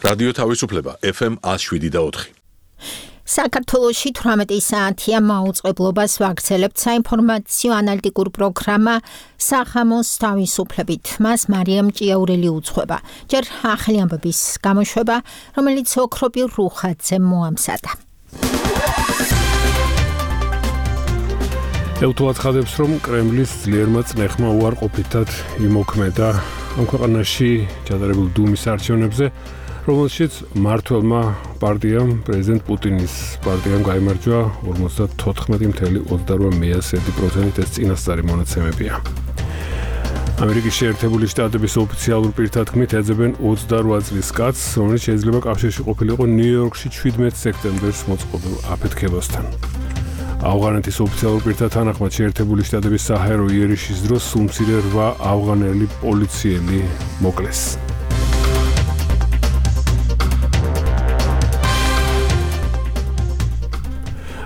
რადიო თავისუფლება FM 107.4. საქართველოში 18 საათია მაუწყებლობას ვაგრძელებთ საინფორმაციო ანალიტიკურ პროგრამა სახამოს თავისუფლებით. მას მარიამ ჭიაურელი უძღვება. ჯერ ახალი ამბების გამოშვება, რომელიც ოქროპი რუხაძე მოამზადა. ელთო აცხადებს, რომ კრემლის ძლიერმა წნეხმა უარყოფითად იმოქმედა ამ ქვეყანაში ჩატარებულ დუმის არჩევნებზე, რომელშიც მმართველმა პარტიამ, პრეზიდენტ პუტინის პარტიამ გაიმარჯვა 54.28% ეს წინასწარი მონაცემებია. ამერიკის შეერთებული შტატების ოფიციალურ პირთა თქმით ეძებენ 28 წლის კაცს, რომელიც შეიძლება კავშირში ყოფილიყო ნიუ-იორკში 17 სექტემბერს მოწყობილ აფეთქებასთან. ავღანეთის ოფიციალურ პირთა თანახმად შეერთებული შტატების საჰაერო იერიშის დროს სულ-მცირე 8 ავღანელი პოლიციელი მოკლეს.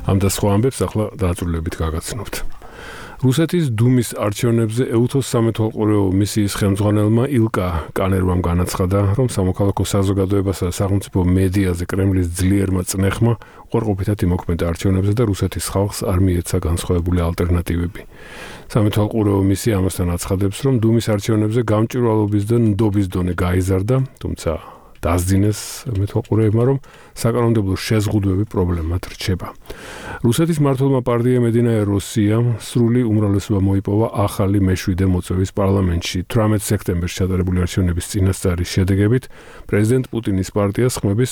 ამ და სხვა ამბებს ახლა დაწვრილებით გაგაცნობთ. რუსეთის დუმის არჩევნებზე ეუთოს სამეთვალყურეო მისიის ხელმძღვანელმა ილკა კანერვამ განაცხადა, რომ სამოქალაქო საზოგადოებასა და სახელმწიფო მედიაზე კრემლის ძლიერმა წნეხმა უარყოფითად იმოქმედა არჩევნებზე და რუსეთის ხალხს არ მიეცა განსხვავებული ალტერნატივები. სამეთვალყურეო მისია ამასთან აცხადებს, რომ დუმის არჩევნებზე გამჭვირვალობის და ნდობის დონე გაიზარდა, თუმცა დასძინეს მეთვალყურეებმა, რომ საკანონმდებლო შეზღუდვები პრობლემად რჩება. რუსეთის მმართველმა პარტიამ Единая Россия სრული უმრავლესობა მოიპოვა ახალი მეშვიდე მოწვევის პარლამენტში. 18 სექტემბერს ჩატარებული არჩევნების წინასწარი შედეგებით პრეზიდენტ პუტინის პარტიას ხმების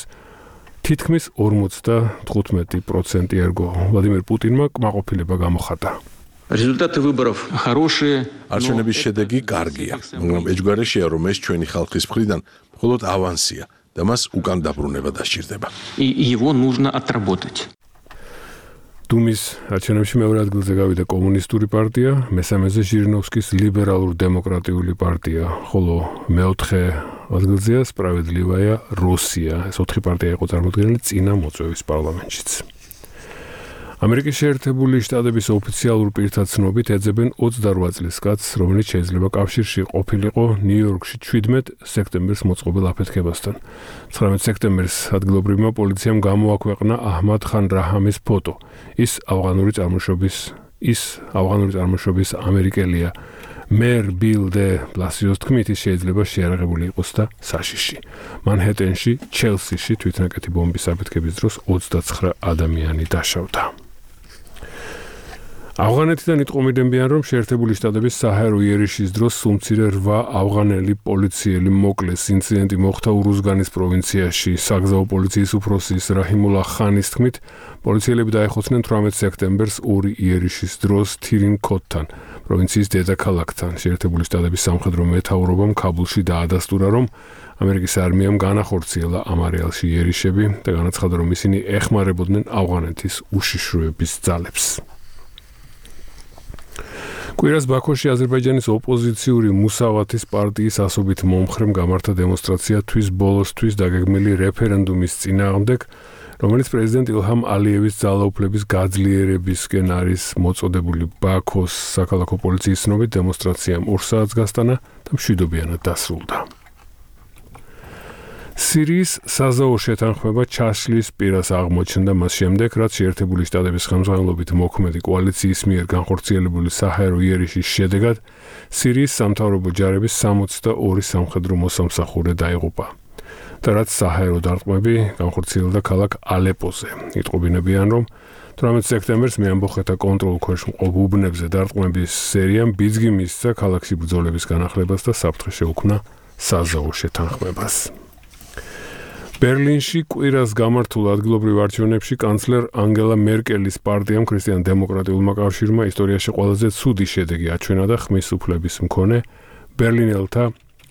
თითქმის 55% ერგო. ვლადიმერ პუტინმა კმაყოფილება გამოხატა. Результаты выборов хорошие. არჩევნების შედეგი კარგია, მაგრამ ეჯგარეშია, რომ ეს ჩვენი ხალხის მხრიდან მხოლოდ ავანსია და მას უკან დაბრუნება დასჭირდება. И его нужно отработать. დუმის არჩევნებში მეორე ადგილზე გავიდა კომუნისტური პარტია, მესამეზე ჟირინოვსკის ლიბერალურ-დემოკრატიული პარტია, ხოლო მეოთხე ადგილზეა სპრავედლივая Россия. ეს 4 პარტია იყო წარმოდგენილი წინა მოწვევის პარლამენტშიც. ამერიკის შეერთებული შტატების ოფიციალურ პირთა ცნობით ეძებენ 28 წლის კაცს, რომელიც შეიძლება კავშირში ყოფილიყო ნიუ-იორკში 17 სექტემბერს მოწყობილ აფეთქებასთან. 19 სექტემბერს ადგილობრივმა პოლიციამ გამოაქვეყნა აჰმად ხან რაჰამის ფოტო. ის ავღანური წარმოშობის ამერიკელია. მერ ბილ დე ბლასიოს თქმით, ის შეიძლება შეიარაღებული იყოს და საშიში. მანჰეტენში, ჩელსიში თვითნაკეთი ბომბის აფეთქების დროს 29 ადამიანი დაშავდა. ავღანეთიდან იტყომიდებიან, რომ შეერთებული შტატების საჰაერო იერიშის დროს სულ-მცირე 8 ავღანელი პოლიციელი მოკლეს. ინციდენტი მოხდა ურუზგანის პროვინციაში. საგზაო პოლიციის უფროსის რაჰიმულა ხანის თქმით, პოლიციელები დაეხოცნენ 18 სექტემბერს 2 იერიშის დროს თირინ-ქოთთან, პროვინციის დედაქალაქთან. შეერთებული შტატების სამხედრო მეთაურობამ ქაბულში დაადასტურა, რომ ამერიკის არმიამ განახორციელა ამ არეალში იერიშები და განაცხადა, რომ ისინი ეხმარებოდნენ ავღანეთის უშიშროების ძალებს. კვირას ბაქოში აზერბაიჯანის ოპოზიციური მუსავათის პარტიის ასობით მომხრემ გამართა დემონსტრაცია თვის ბოლოსთვის დაგეგმილი რეფერენდუმის წინააღმდეგ, რომელიც პრეზიდენტ ილჰამ ალიევის ძალაუფლების გაძლიერებისკენ არის მოწოდებული. ბაქოს საქალაქო პოლიციის ცნობით დემონსტრაციამ 2 საათს გასტანა და მშვიდობიანად დასრულდა. სირიის საზავო შეთანხმება ჩაშლის პირას აღმოჩნდა მას შემდეგ, რაც შეერთებული შტატების ხელმძღვანელობით მოქმედი კოალიციის მიერ განხორციელებული საჰაერო იერიშის შედეგად სირიის სამთავრობო ჯარების 62 სამხედრო მოსამსახურე დაიღუპა. და რაც საჰაერო დარტყმები განხორციელდა ქალაქ ალეპოზე. იტყობინებიან, რომ 18 სექტემბერს მეამბოხეთა კონტროლ ქვეშ მყოფ უბნებზე დარტყმების სერიამ ბიძგი მისცა ქალაქში ბრძოლების განახლებას და საფრთხე შეუქმნა საზავო შეთანხმებას. ბერლინში კვირას გამართულ ადგილობრივ არჩევნებში კანცლერ ანგელა მერკელის პარტიამ ქრისტიან-დემოკრატიულმა კავშირმა ისტორიაში ყველაზე ცუდი შედეგი აჩვენა და ხმის უფლების მქონე ბერლინელთა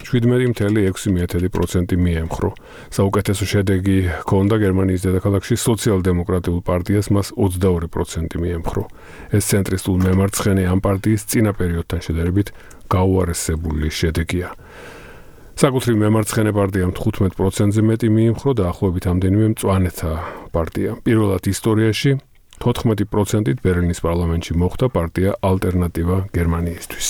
17.6% მიემხრო. საუკეთესო შედეგი ჰქონდა გერმანიის დედაქალაქში სოციალ-დემოკრატიულ პარტიას, მას 22% მიემხრო. ეს ცენტრისტულ მემარცხენე ამ პარტიის წინა პერიოდთან შედარებით გაუარესებული შედეგია. საკუთრივ მემარცხენე პარტიამ 15%-ზე მეტი მიიმხრო და ახლობით ამდენივე მწვანეთა პარტია. პირველად ისტორიაში 14%-ით ბერლინის პარლამენტში მოხვდა პარტია ალტერნატივა გერმანიისთვის.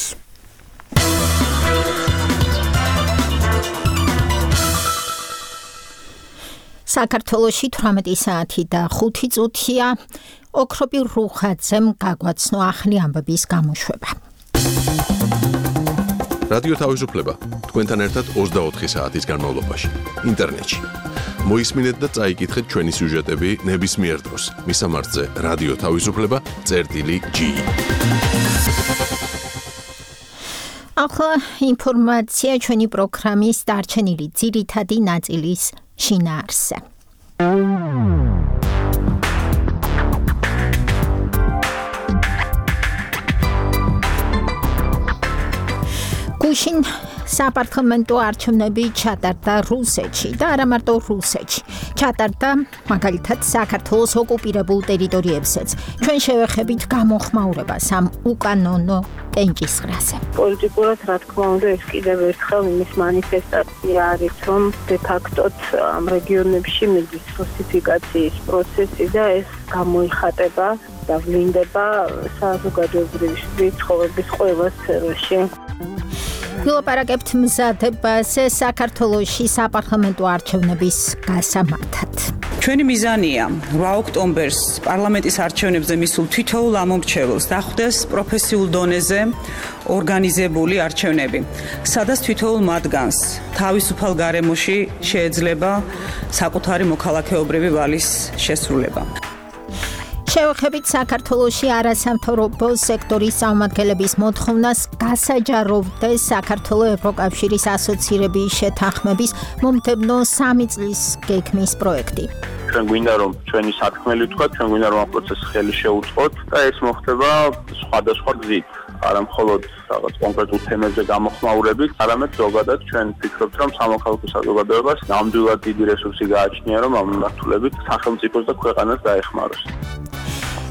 საქართველოში 18 საათი და 5 წუთია. ოქროპი რუხაძემ გაგვაცნო ახალი ამბების გამოშვება. რადიო თავისუფლება თქვენთან ერთად 24 საათის განმავლობაში ინტერნეტში. მოისმინეთ და წაიკითხეთ ჩვენი სიუჟეტები ნებისმიერ დროს. მისამართზე რადიო თავისუფლება.gi. ახლა ინფორმაცია ჩვენი პროგრამის დარჩენილი ძირითადი ნაწილის შინაარსზე. გუშინ საპარლამენტო არჩევნები ჩატარდა რუსეთში და არა მარტო რუსეთში. ჩატარდა მაგალითად საქართველოს ოკუპირებულ ტერიტორიებზეც. ჩვენ შევეხებით გამოხმაურებას ამ უკანონო კენჭისყრაზე. პოლიტიკურად რა თქმა უნდა ეს კიდევ ერთხელ იმის მანიფესტაცია არის, რომ დე-ფაქტოდ ამ რეგიონებში მიდის რუსიფიკაციის პროცესი და ეს გამოიხატება და ვლინდება საზოგადოებრივი ცხოვრების ყველა სფეროში. ვილაპარაკებთ მზადებაზე საქართველოში საპარლამენტო არჩევნების გასამართად. ჩვენი მიზანია 8 ოქტომბერს პარლამენტის არჩევნებზე მისულ თითოეულ ამომრჩეველს დახვდეს პროფესიულ დონეზე ორგანიზებული არჩევნები, სადაც თითოეულ მათგანს თავისუფალ გარემოში შეეძლება საკუთარი მოქალაქეობრივი ვალის შესრულება. შევეხებით საქართველოში არასამთავრობო სექტორის წარმომადგენლების მოთხოვნას გასაჯაროვდეს საქართველოს ევროკავშირის ასოცირების შეთანხმების მომდევნო 3 წლის გეგმის პროექტი. ჩვენ გვინდა რომ ჩვენი სათქმელი ვთქვათ, ჩვენ გვინდა რომ ამ პროცესს ხელი შეუწყოთ და ეს მოხდება სხვადასხვა გზით. არა მხოლოდ რაღაც კონკრეტულ თემებზე გამოხმაურებით, არამედ ზოგადად ჩვენ ვფიქრობთ, რომ სამოქალაქო საზოგადოებას ნამდვილად დიდი რესურსი გააჩნია, რომ ამ მიმართულებით სახელმწიფოს და ქვეყანას დაეხმაროს.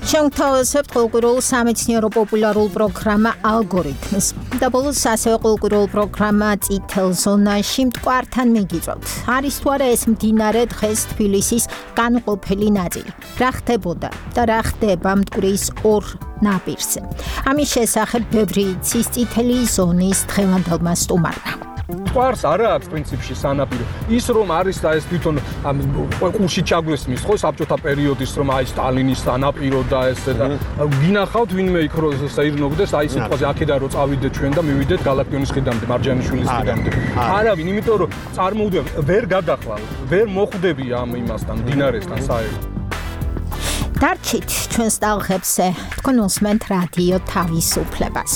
შევთავაზებთ ყოველკვირეულ სამეცნიერო პოპულარულ პროგრამა ალგორითმს და ბოლოს ასევე ყოველკვირეულ პროგრამა წითელ ზონაში მტკვართან მიგიწევთ. არის თუ არა ეს მდინარე დღეს თბილისის განუყოფელი ნაწილი. რა ხდებოდა და რა ხდება მტკვრის ორ ნაპირზე. ამის შესახებ ბევრი იცის წითელი ზონის დღევანდელმა სტუმარმა. მტკვარს არა აქვს პრინციპში სანაპირო. ის რომ არის და ეს თვითონ ყურში ჩაგვესმის ხო საბჭოთა პერიოდის რომ აი სტალინის სანაპირო და ეს და გინახავთ ვინმე იქ რომ საირნობდეს აი სიტყვაზე აქედან რომ წავიდეთ ჩვენ და მივიდეთ გალაკტიონის ხიდამდე, მარჯანიშვილის ხიდამდე. არავინ, იმიტომ რომ წარმოუდგენ ვერ გადახვალ, ვერ მოხვდები ამ იმასთან, დინარესთან საერთოდ. დარჩით ჩვენს ტალღებზე, თქვენ უსმენთ რადიო თავისუფლებას.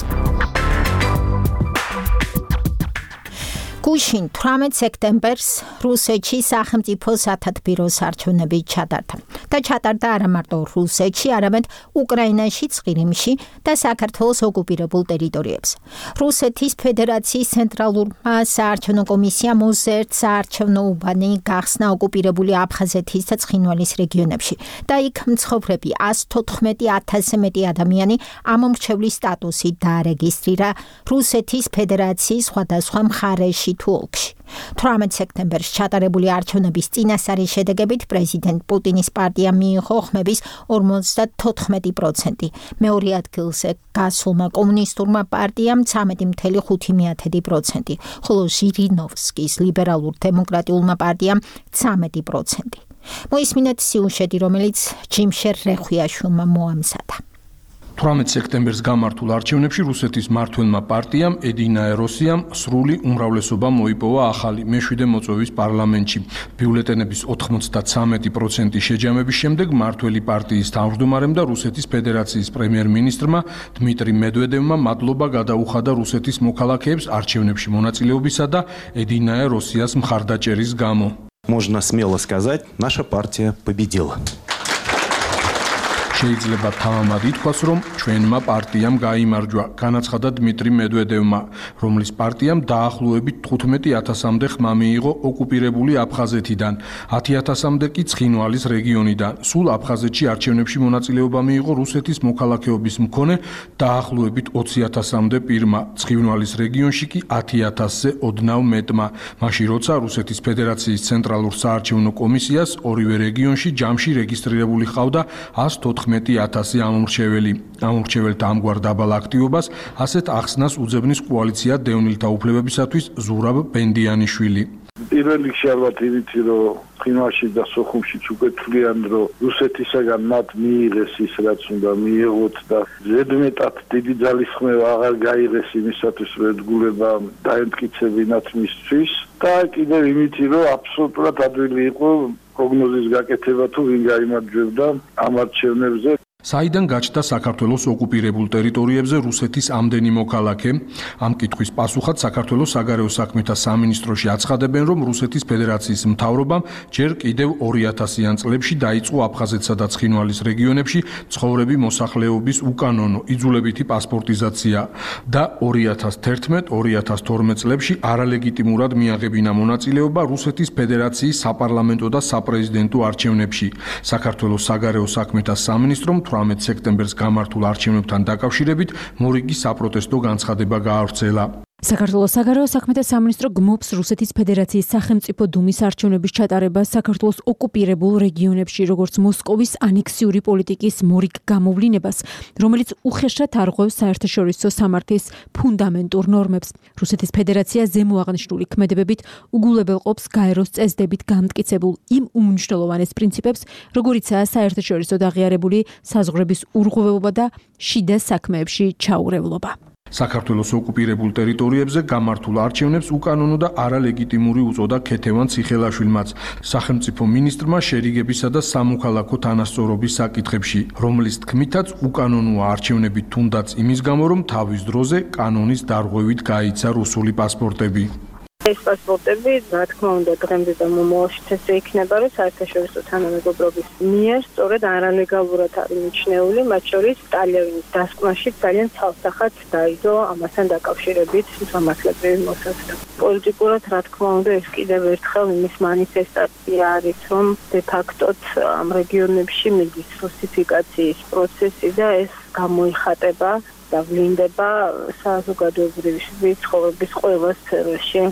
გუშინ 18 სექტემბერს რუსეთში სახელმწიფო სათათბიროს არჩევნები ჩატარდა. და ჩატარდა არა მარტო რუსეთში, არამედ უკრაინაშიც, ყირიმში და საქართველოს ოკუპირებულ ტერიტორიებზე. რუსეთის ფედერაციის ცენტრალურმა საარჩევნო კომისიამ მოზერთ საარჩევნო უბანი გახსნა ოკუპირებული აფხაზეთის და ცხინვალის რეგიონებში და იქ მცხოვრები 114,000-ზე მეტი ადამიანი ამომრჩევლის სტატუსით დაარეგისტრირა რუსეთის ფედერაციის სხვადასხვა მხარეში თუ ოლქში. 18 სექტემბერს ჩატარებული არჩევნების წინასწარი შედეგებით პრეზიდენტ პუტინის პარტიამ მიიღო ხმების 54%. მეორე ადგილზე გასულმა კომუნისტურმა პარტიამ 13,5%, ხოლო ჟირინოვსკის ლიბერალურ დემოკრატიულმა პარტიამ 13%. მოისმინეთ სიუჟეტი, რომელიც ჯიმშერ რეხვიაშვილმა მოამზადა. 18 სექტემბერს გამართულ არჩევნებში რუსეთის მმართველმა პარტიამ ედინაე როსიამ სრული უმრავლესობა მოიპოვა ახალი მე-7 მოწვევის პარლამენტში. ბიულეტენების 93% შეჯამების შემდეგ მმართველი პარტიის თავმჯდომარემ და რუსეთის ფედერაციის პრემიერ-მინისტრმა დმიტრი მედვედევმა მადლობა გადაუხადა რუსეთის მოქალაქეებს არჩევნებში მონაწილეობისა და ედინაე როსიას მხარდაჭერის გამო. Можно смело сказать, наша партия победила. შეიძლება თავამად ითქვას, რომ ჩვენმა პარტიამ გაიმარჯვა, განაცხადა დმიტრი მედვედევმა, რომლის პარტიამ დაახლოებით 15,000-მდე ხმა მიიღო ოკუპირებული აფხაზეთიდან, 10,000-მდე კი ცხინვალის რეგიონიდან. სულ აფხაზეთში არჩევნებში მონაწილეობა მიიღო რუსეთის მოქალაქეობის მქონე დაახლოებით 20,000-მდე პირმა, ცხინვალის რეგიონში კი 10,000-ზე ოდნავ მეტმა. მაშინ როცა რუსეთის ფედერაციის ცენტრალურ საარჩევნო კომისიას ორივე რეგიონში ჯამში რეგისტრირებული ჰყავდა 114,000 ამომრჩეველი. ამომრჩეველთა ამგვარ დაბალ აქტივობას ასეთ ახსნას უძებნის კოალიცია დევნილთა უფლებებისათვის ზურაბ ბენდიანიშვილი. პირველ რიგში ალბათ იმითი რომ ყინვაში და სოხუმშიც უკვე თვლიან რომ რუსეთისაგან მათ მიიღეს ის რაც უნდა მიიღოთ და ზედმეტად დიდი ძალისხმევა აღარ გაიღეს იმისათვის რომ ერთგულება დაემტკიცებინათ მისთვის და კიდევ იმითი რომ აბსოლუტურად ადვილი იყო პროგნოზის გაკეთება თუ ვინ გაიმარჯვებდა ამ არჩევნებზე. საიდან გაჩნდა საქართველოს ოკუპირებულ ტერიტორიებზე რუსეთის ამდენი მოქალაქე? ამ კითხვის პასუხად საქართველოს საგარეო საქმეთა სამინისტროში აცხადებენ, რომ რუსეთის ფედერაციის მთავრობამ ჯერ კიდევ 2000-იან წლებში დაიწყო აფხაზეთსა და ცხინვალის რეგიონებში ცხოვრები მოსახლეობის უკანონო იძულებითი პასპორტიზაცია და 2011-2012 წლებში არალეგიტიმურად მიაღებინა მონაწილეობა რუსეთის ფედერაციის საპარლამენტო და საპრეზიდენტო არჩევნებში. საქართველოს საგარეო საქმეთა სამინისტრომ 18 სექტემბერს გამართულ არჩევნებთან დაკავშირებით მორიგი საპროტესტო განცხადება გაავრცელა. საქართველოს საგარეო საქმეთა სამინისტრო გმობს რუსეთის ფედერაციის სახელმწიფო დუმის არჩევნების ჩატარებას საქართველოს ოკუპირებულ რეგიონებში, როგორც მოსკოვის ანექსიური პოლიტიკის მორიგ გამოვლინებას, რომელიც უხეშად არღვევს საერთაშორისო სამართლის ფუნდამენტურ ნორმებს. რუსეთის ფედერაცია ზემოაღნიშნული ქმედებებით უგულებელყოფს გაეროს წესდებით გამტკიცებულ იმ უმნიშვნელოვანეს პრინციპებს, როგორიცაა საერთაშორისო აღიარებული საზღვრების ურღვევობა და შიდა საქმეებში ჩაურევლობა. საქართველოს ოკუპირებულ ტერიტორიებზე გამართულ არჩევნებს უკანონო და არალეგიტიმური უწოდა ქეთევან ციხელაშვილმაც, სახელმწიფო მინისტრმა შერიგებისა და სამოქალაქო თანასწორობის საკითხებში, რომლის თქმითაც უკანონოა არჩევნები თუნდაც იმის გამო, რომ თავის დროზე კანონის დარღვევით გაიცა რუსული პასპორტები. ეს პასპორტები, რა თქმა უნდა, დღემდე და მომავალშიც ესე იქნება, რომ საერთაშორისო თანამეგობრობის მიერ სწორედ არალეგალურად არის მიჩნეული, მათ შორის ტალიანის დასკვნაში ძალიან ცალსახად დაიდო ამასთან დაკავშირებით სამართლებრივი მოსაზრება. პოლიტიკურად, რა თქმა უნდა, ეს კიდევ ერთხელ იმის მანიფესტაცია არის, რომ დე-ფაქტოდ ამ რეგიონებში მიდის რუსიფიკაციის პროცესი და ეს გამოიხატება და ვლინდება საზოგადოებრივი ცხოვრების ყველა სფეროში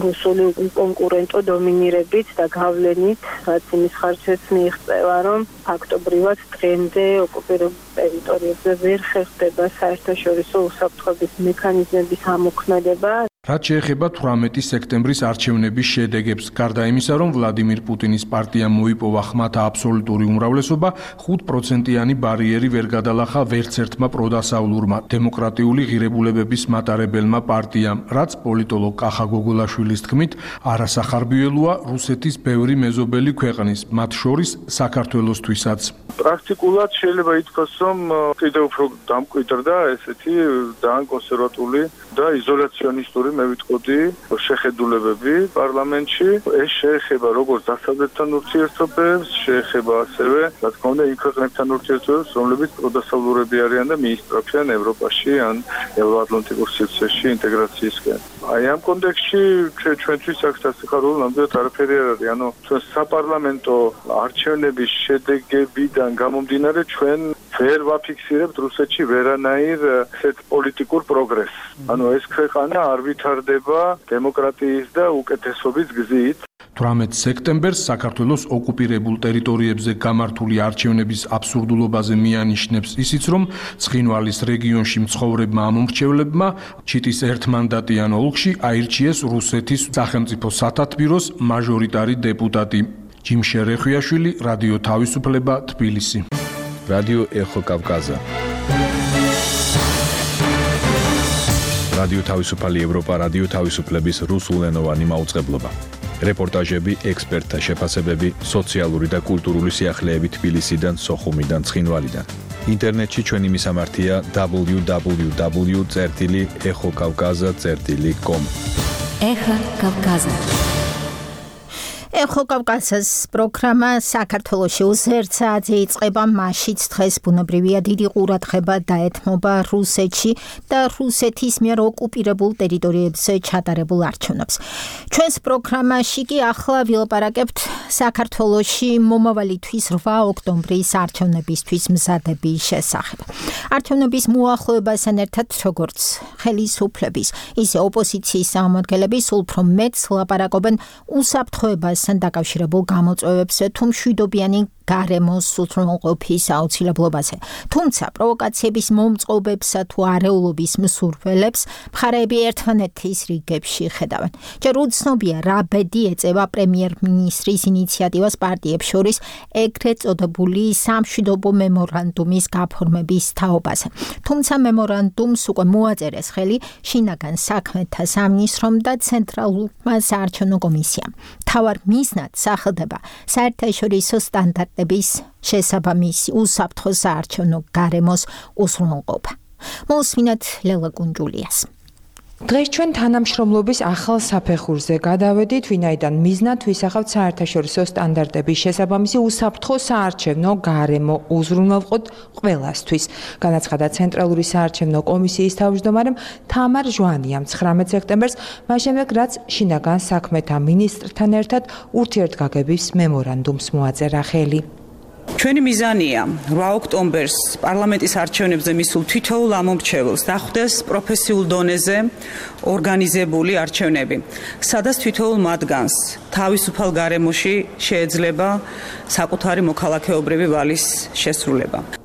რუსული კონკურენტო დომინირებით და გავლენით, რაც იმის ხარჯზეც მიიღწევა, რომ ფაქტობრივად დღემდე ოკუპირებულ ტერიტორიებზე ვერ ხერხდება საერთაშორისო უსაფრთხოების მექანიზმების ამოქმედება. რაც შეეხება 18 სექტემბრის არჩევნების შედეგებს, გარდა იმისა, რომ ვლადიმირ პუტინის პარტიამ მოიპოვა ხმათა აბსოლუტური უმრავლესობა, 5%-იანი ბარიერი ვერ გადალახა ვერცერთმა პროდასავლურმა დემოკრატიული ღირებულებების მატარებელმა პარტიამ, რაც პოლიტოლოგ კახა გოგოლაშვილის თქმით, არასახარბიელოა რუსეთის ბევრი მეზობელი ქვეყნის, მათ შორის საქართველოსთვისაც. პრაქტიკულად შეიძლება ითქვას, რომ კიდევ უფრო დამკვიდრდა ესეთი ძალიან კონსერვატული და იზოლაციონისტური მე ვიტყოდი შეხედულებები პარლამენტში. ეს შეეხება როგორც დასავლეთთან ურთიერთობებს, შეეხება ასევე, რა თქმა უნდა, იმ ქვეყნებთან ურთიერთობებს, რომლებიც პროდასავლურები არიან და მიისწრაფიან ევროპაში ან ევროატლანტიკურ სივრცეში ინტეგრაციისკენ. აი ამ კონტექსტში ჩვენთვის აქ სასიხარულო ნამდვილად არაფერი არ არის. ანუ ჩვენ საპარლამენტო არჩევნების შედეგებიდან გამომდინარე ჩვენ ვერ ვაფიქსირებთ რუსეთში ვერანაირ ესეთ პოლიტიკურ პროგრესს. ანუ ეს ქვეყანა არ ვითარდება დემოკრატიის და უკეთესობის გზით. 18 სექტემბერს საქართველოს ოკუპირებულ ტერიტორიებზე გამართული არჩევნების აბსურდულობაზე მიანიშნებს ისიც, რომ ცხინვალის რეგიონში მცხოვრებმა ამომრჩევლებმა ჩიტის ერთმანდატიან ოლქში აირჩიეს რუსეთის სახელმწიფო სათათბიროს მაჟორიტარი დეპუტატი. ჯიმშე რეხვიაშვილი, რადიო თავისუფლება, თბილისი. რადიო ეხო კავკაზა. რადიო თავისუფალი ევროპა, რადიო თავისუფლების რუსულენოვანი მაუწყებლობა. რეპორტაჟები, ექსპერტთა შეფასებები, სოციალური და კულტურული სიახლეები თბილისიდან, სოხუმიდან, ცხინვალიდან. ინტერნეტში ჩვენი მისამართია www.exokavkaza.com. ეხა კავკაზა. ეხო კავკასიის პროგრამა საქართველოში უზერთსაძე იწყება მაშიც დღეს ბუნებრივია დიდი ყურადღება დაეთმობა რუსეთში და რუსეთის მიერ ოკუპირებულ ტერიტორიებზე ჩატარებულ არჩევნებს. ჩვენს პროგრამაში კი ახლა ვილაპარაკებთ საქართველოში მომავალი თვის 8 ოქტომბრის არჩევნებისთვის მზადების შესახებ. არჩევნების მოახლოებასთან ერთად როგორც ხელისუფლების, ისე ოპოზიციის წარმომადგენლები სულ უფრო მეტს ლაპარაკობენ უსაფრთხოებას დაკავშირებულ გამოწვევებს, თუ მშვიდობიანი გარემოს უზრუნველყოფის აუცილებლობაზე. თუმცა პროვოკაციების მომწყობებსა თუ არეულობის მსურველებს მხარეები ერთმანეთის რიგებში ხედავენ. ჯერ უცნობია რა ბედი ეწევა პრემიერ-მინისტრის ინიციატივას პარტიებს შორის ეგრეთ წოდებული სამშვიდობო მემორანდუმის გაფორმების თაობაზე. თუმცა მემორანდუმს უკვე მოაწერეს ხელი შინაგან საქმეთა სამინისტრომ და ცენტრალურმა საარჩევნო კომისიამ. მთავარ მიზნად სახელდება საერთაშორისო სტანდარტების შესაბამისი უსაფრთხო საარჩევნო გარემოს უზრუნველყოფა. მოусმინოთ ლელა კუნჯულიას. დღეს ჩვენ თანამშრომლობის ახალ საფეხურზე გადავედით, ვინაიდან მიზნად ვისახავთ საერთაშორისო სტანდარტების შესაბამისი უსაფრთხო საარჩევნო გარემო უზრუნველყოთ ყველასთვის. განაცხადა ცენტრალური საარჩევნო კომისიის თავმჯდომარემ თამარ ჟვანიამ 19 სექტემბერს, მას შემდეგ რაც შინაგან საქმეთა მინისტრთან ერთად ურთიერთგაგების მემორანდუმს მოაწერა ხელი. ჩვენი მიზანია 8 ოქტომბერს პარლამენტის არჩევნებზე მისულ თითოეულ ამომრჩეველს დახვდეს პროფესიულ დონეზე ორგანიზებული არჩევნები, სადაც თითოეულ მათგანს თავისუფალ გარემოში შეიძლება საკუთარი მოქალაქეობრივი ვალის შესრულება.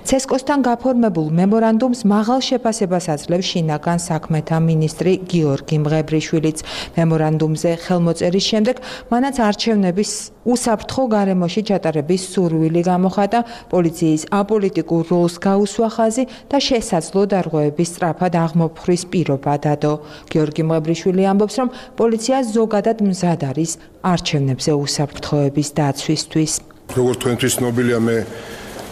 ცესკოსთან გაფორმებულ მემორანდუმს მაღალ შეფასებას აძლევს შინაგან საქმეთა მინისტრი გიორგი მღებრიშვილიც. მემორანდუმზე ხელმოწერის შემდეგ მანაც არჩევნების უსაფრთხო გარემოში ჩატარების სურვილი გამოხატა, პოლიციის აპოლიტიკურ როლს გაუსვა ხაზი და შესაძლო დარღვევების სწრაფად აღმოფხვრის პირობა დადო. გიორგი მღებრიშვილი ამბობს, რომ პოლიცია ზოგადად მზად არის არჩევნებზე უსაფრთხოების დაცვისთვის. როგორც თქვენთვის ცნობილია, მე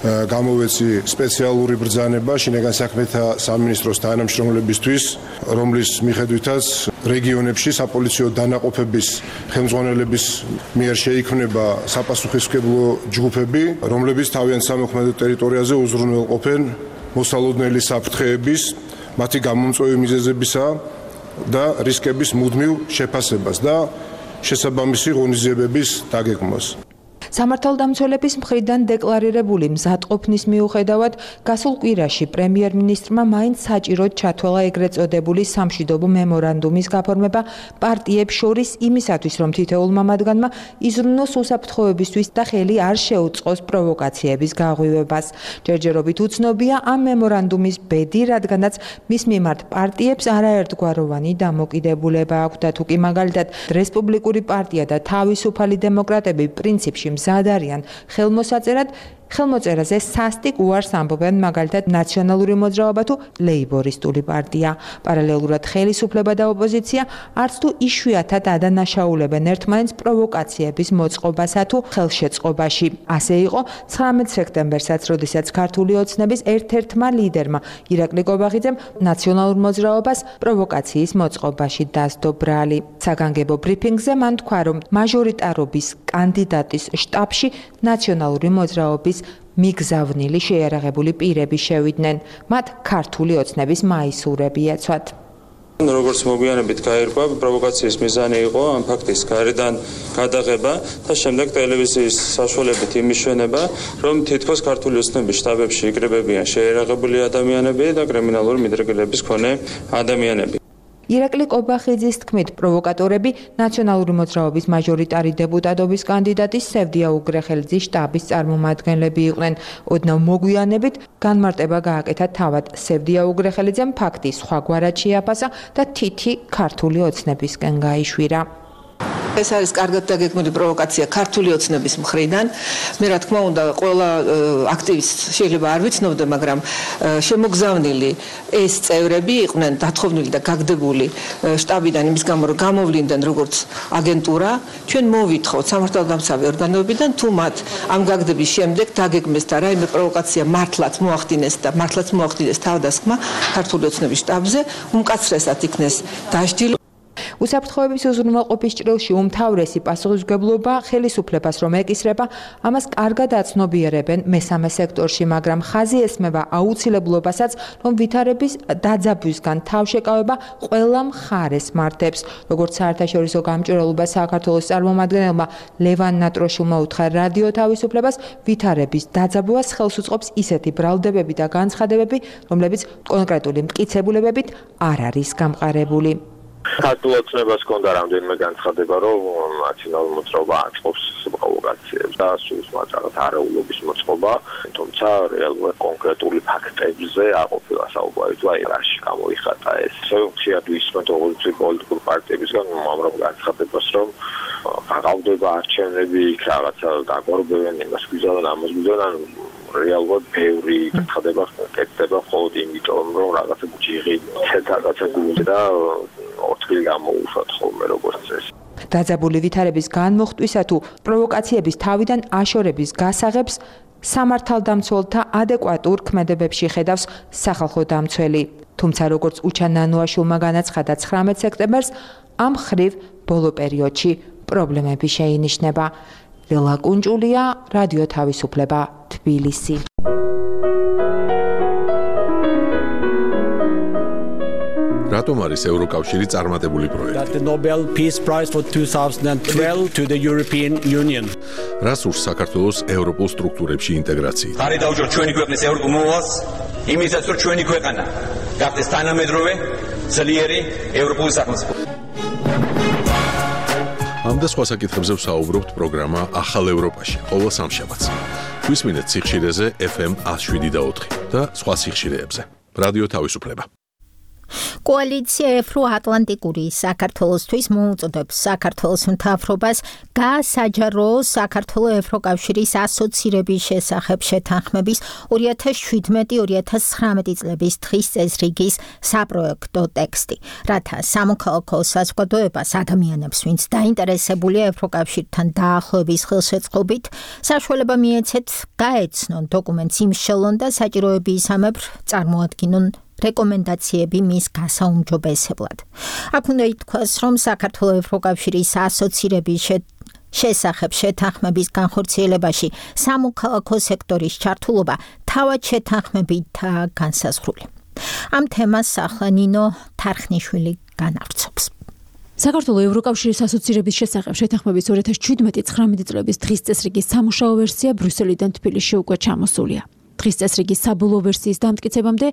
გამოვეცი სპეციალური ბრძანება შინაგან საქმეთა სამინისტროს თანამშრომლებისთვის, რომლის მიხედვითაც რეგიონებში საპოლიციო დანაყოფების ხელმძღვანელების მიერ შეიქმნება საპასუხისმგებლო ჯგუფები, რომლებიც თავიანთ სამოქმედო ტერიტორიაზე უზრუნველყოფენ მოსალოდნელი საფრთხეების, მათი გამომწვევი მიზეზებისა და რისკების მუდმივ შეფასებას და შესაბამისი ღონისძიებების დაგეგმვას. სამართალდამცველების მხრიდან დეკლარირებული მზადყოფნის მიუხედავად, გასულ კვირაში პრემიერ-მინისტრმა მაინც საჭიროდ ჩათვალა ეგრეთ წოდებული სამშვიდობო მემორანდუმის გაფორმება პარტიებს შორის იმისათვის, რომ თითოეულმა მათგანმა იზრუნოს უსაფრთხოებისთვის და ხელი არ შეუწყოს პროვოკაციების გაღვივებას. ჯერჯერობით უცნობია ამ მემორანდუმის ბედი, რადგანაც მის მიმართ პარტიებს არაერთგვაროვანი დამოკიდებულება აქვს და თუ კი მაგალითად რესპუბლიკური პარტია და თავისუფალი დემოკრატები პრინციპში მზად არიან ხელმოსაწერად, ხელმოწერაზე სასტიკ უარს ამბობენ მაგალითად ნაციონალური მოძრაობა თუ ლეიბორისტული პარტია. პარალელურად ხელისუფლება და ოპოზიცია არც თუ იშვიათად ადანაშაულებენ ერთმანეთს პროვოკაციების მოწყობასა თუ ხელშეწყობაში. ასე იყო 19 სექტემბერსაც, როდესაც ქართული ოცნების ერთ-ერთმა ლიდერმა ირაკლი კობახიძემ ნაციონალურ მოძრაობას პროვოკაციის მოწყობაში დასდო ბრალი. საგანგებო ბრიფინგზე მან თქვა, რომ მაჟორიტარობის კანდიდატის შტაბში ნაციონალური მოძრაობის მიგზავნილი შეიარაღებული პირები შევიდნენ. მათ ქართული ოცნების მაისურები ეცვათ. როგორც მოგვიანებით გაირკვა, პროვოკაციის მიზანი იყო ამ ფაქტის გარედან გადაღება და შემდეგ ტელევიზიის საშუალებით იმიშვენება, რომ თითქოს ქართული ოცნების შტაბებში იკრიბებიან შეიარაღებული ადამიანები და კრიმინალური მიდრეკილების მქონე ადამიანები. ირაკლი კობახიძის თქმით, პროვოკატორები ნაციონალური მოძრაობის მაჟორიტარი დეპუტატობის კანდიდატი სევდია უგრეხელიძის შტაბის წარმომადგენლები იყვნენ. ოდნავ მოგვიანებით განმარტება გააკეთა თავად სევდია უგრეხელიძემ ფაქტის სხვაგვარად შეაფასა და თითი ქართული ოცნებისკენ გაიშვირა. ეს არის კარგად დაგეგმილი პროვოკაცია ქართული ოცნების მხრიდან. მე რა თქმა უნდა, ყველა აქტივისტი შეიძლება არ ვიცნობდე, მაგრამ შემოგზავნილი ეს წევრები იყვნენ დათხოვნილი და გაგდებული შტაბიდან იმის გამო, რომ გამოვლინდნენ როგორც აგენტურა. ჩვენ მოვითხოვთ სამართალდამცავი ორგანოებიდან, თუ მათ ამ გაგდების შემდეგ დაგეგმეს და რაიმე პროვოკაცია მართლაც მოახდინეს თავდასხმა ქართული ოცნების შტაბზე, უმკაცრესად იქნეს დასჯილი. უსაფრთხოების უზრუნველყოფის ჭრილში უმთავრესი პასუხისმგებლობა ხელისუფლებას რომ ეკისრება, ამას კარგად აცნობიერებენ მესამე სექტორში, მაგრამ ხაზი ესმება აუცილებლობასაც, რომ ვითარების დაძაბვისგან თავშეკავება ყველა მხარეს მართებს. როგორც საერთაშორისო გამჭვირვალობა საქართველოს წარმომადგენელმა ლევან ნატროშულმა უთხრა რადიო თავისუფლებას, ვითარების დაძაბვას ხელს უწყობს ისეთი ბრალდებები და განცხადებები, რომლებიც კონკრეტული მტკიცებულებებით არ არის გამყარებული. ქართულ ოცნებას ჰქონდა რამდენიმე განცხადება, რომ ნაციონალური მოძრაობა აწყობს პროვოკაციებს და სულს მატარად არეულობის მოწყობა, თუმცა რეალურად კონკრეტული ფაქტებზე არ ყოფილა საუბარი თუ აი რაში გამოიხატა ეს. ხშირად ვისმენთ ოღონდ პოლიტიკურ პარტიებისგან უამრავ განცხადებას, რომ აღავდება არჩევნები, იქ რაღაცა დაგორბევენ, იმას გვიზავენ, ამას გვიზავენ, რეალურად ბევრი განცხადება კეთდება მხოლოდ იმიტომ, რომ რაღაცა ჯიღი რაღაცა გულზე და ორთქილი გამოუშვათ ხოლმე როგორც წესი. დაძაბული ვითარების განმოხტვისა თუ პროვოკაციების თავიდან აშორების გასაღებს სამართალდამცველთა ადეკვატურ ქმედებებში ხედავს სახალხო დამცველი. თუმცა როგორც უჩან ნანუაშვილმა განაცხადა 19 სექტემბერს, ამ ხრივ ბოლო პერიოდში პრობლემები შეინიშნება. ლილა კუნჭულია, რადიო თავისუფლება, თბილისი. რატომ არის ევროკავშირი წარმატებული პროექტი? That the Nobel Peace Prize for 2012 to the European Union. რას ურს საქართველოს ევროპულ სტრუქტურებში ინტეგრაცია? ხარი დაუჯეროთ ჩვენი ქვეყნის ევროპულ მოვალს, იმისაც რომ ჩვენი ქვეყანა გახდეს თანამედროვე, ძლიერი ევროპული სახელმწიფო. ამ და სხვა საკითხებზე ვსაუბრობთ პროგრამა ახალ ევროპაში, ყოველ სამშაბათს. გვისმინეთ სიხშირეზე FM 107.4 და სხვა სიხშირეებზე. რადიო თავისუფლება. კოალიცია ევროატლანტიკური საქართველოსთვის მოუწოდებს საქართველოს მთავრობას გაასაჯარო საქართველოს ევროკავშირის ასოცირების შესახებ შეთანხმების 2017-2019 წლების დღის წესრიგის საპროექტო ტექსტი, რათა სამოქალაქო საზოგადოებას ადამიანებს, ვინც დაინტერესებულია ევროკავშირთან დაახლოების ხელშეწყობით, საშუალება მიეცეთ გაეცნონ დოკუმენტს იმ შელონ და საჭიროებისამებრ წარმოადგინონ რეკომენდაციები მის გასაუმჯობესებლად. აქ უნდა ითქვას, რომ საქართველოს ევროკავშირის ასოცირების შესახებ შეთანხმების განხორციელებაში სამოქალაქო სექტორის ჩართულობა თავად შეთანხმებითაა განსაზღვრული. ამ თემას ახლა ნინო თარხნიშვილი განავრცობს. საქართველოს ევროკავშირის ასოცირების შესახებ შეთანხმების 2017-19 წლების დღის წესრიგის სამუშაო ვერსია ბრიუსელიდან თბილისში უკვე ჩამოსულია. დღის წესრიგის საბოლოო ვერსიის დამტკიცებამდე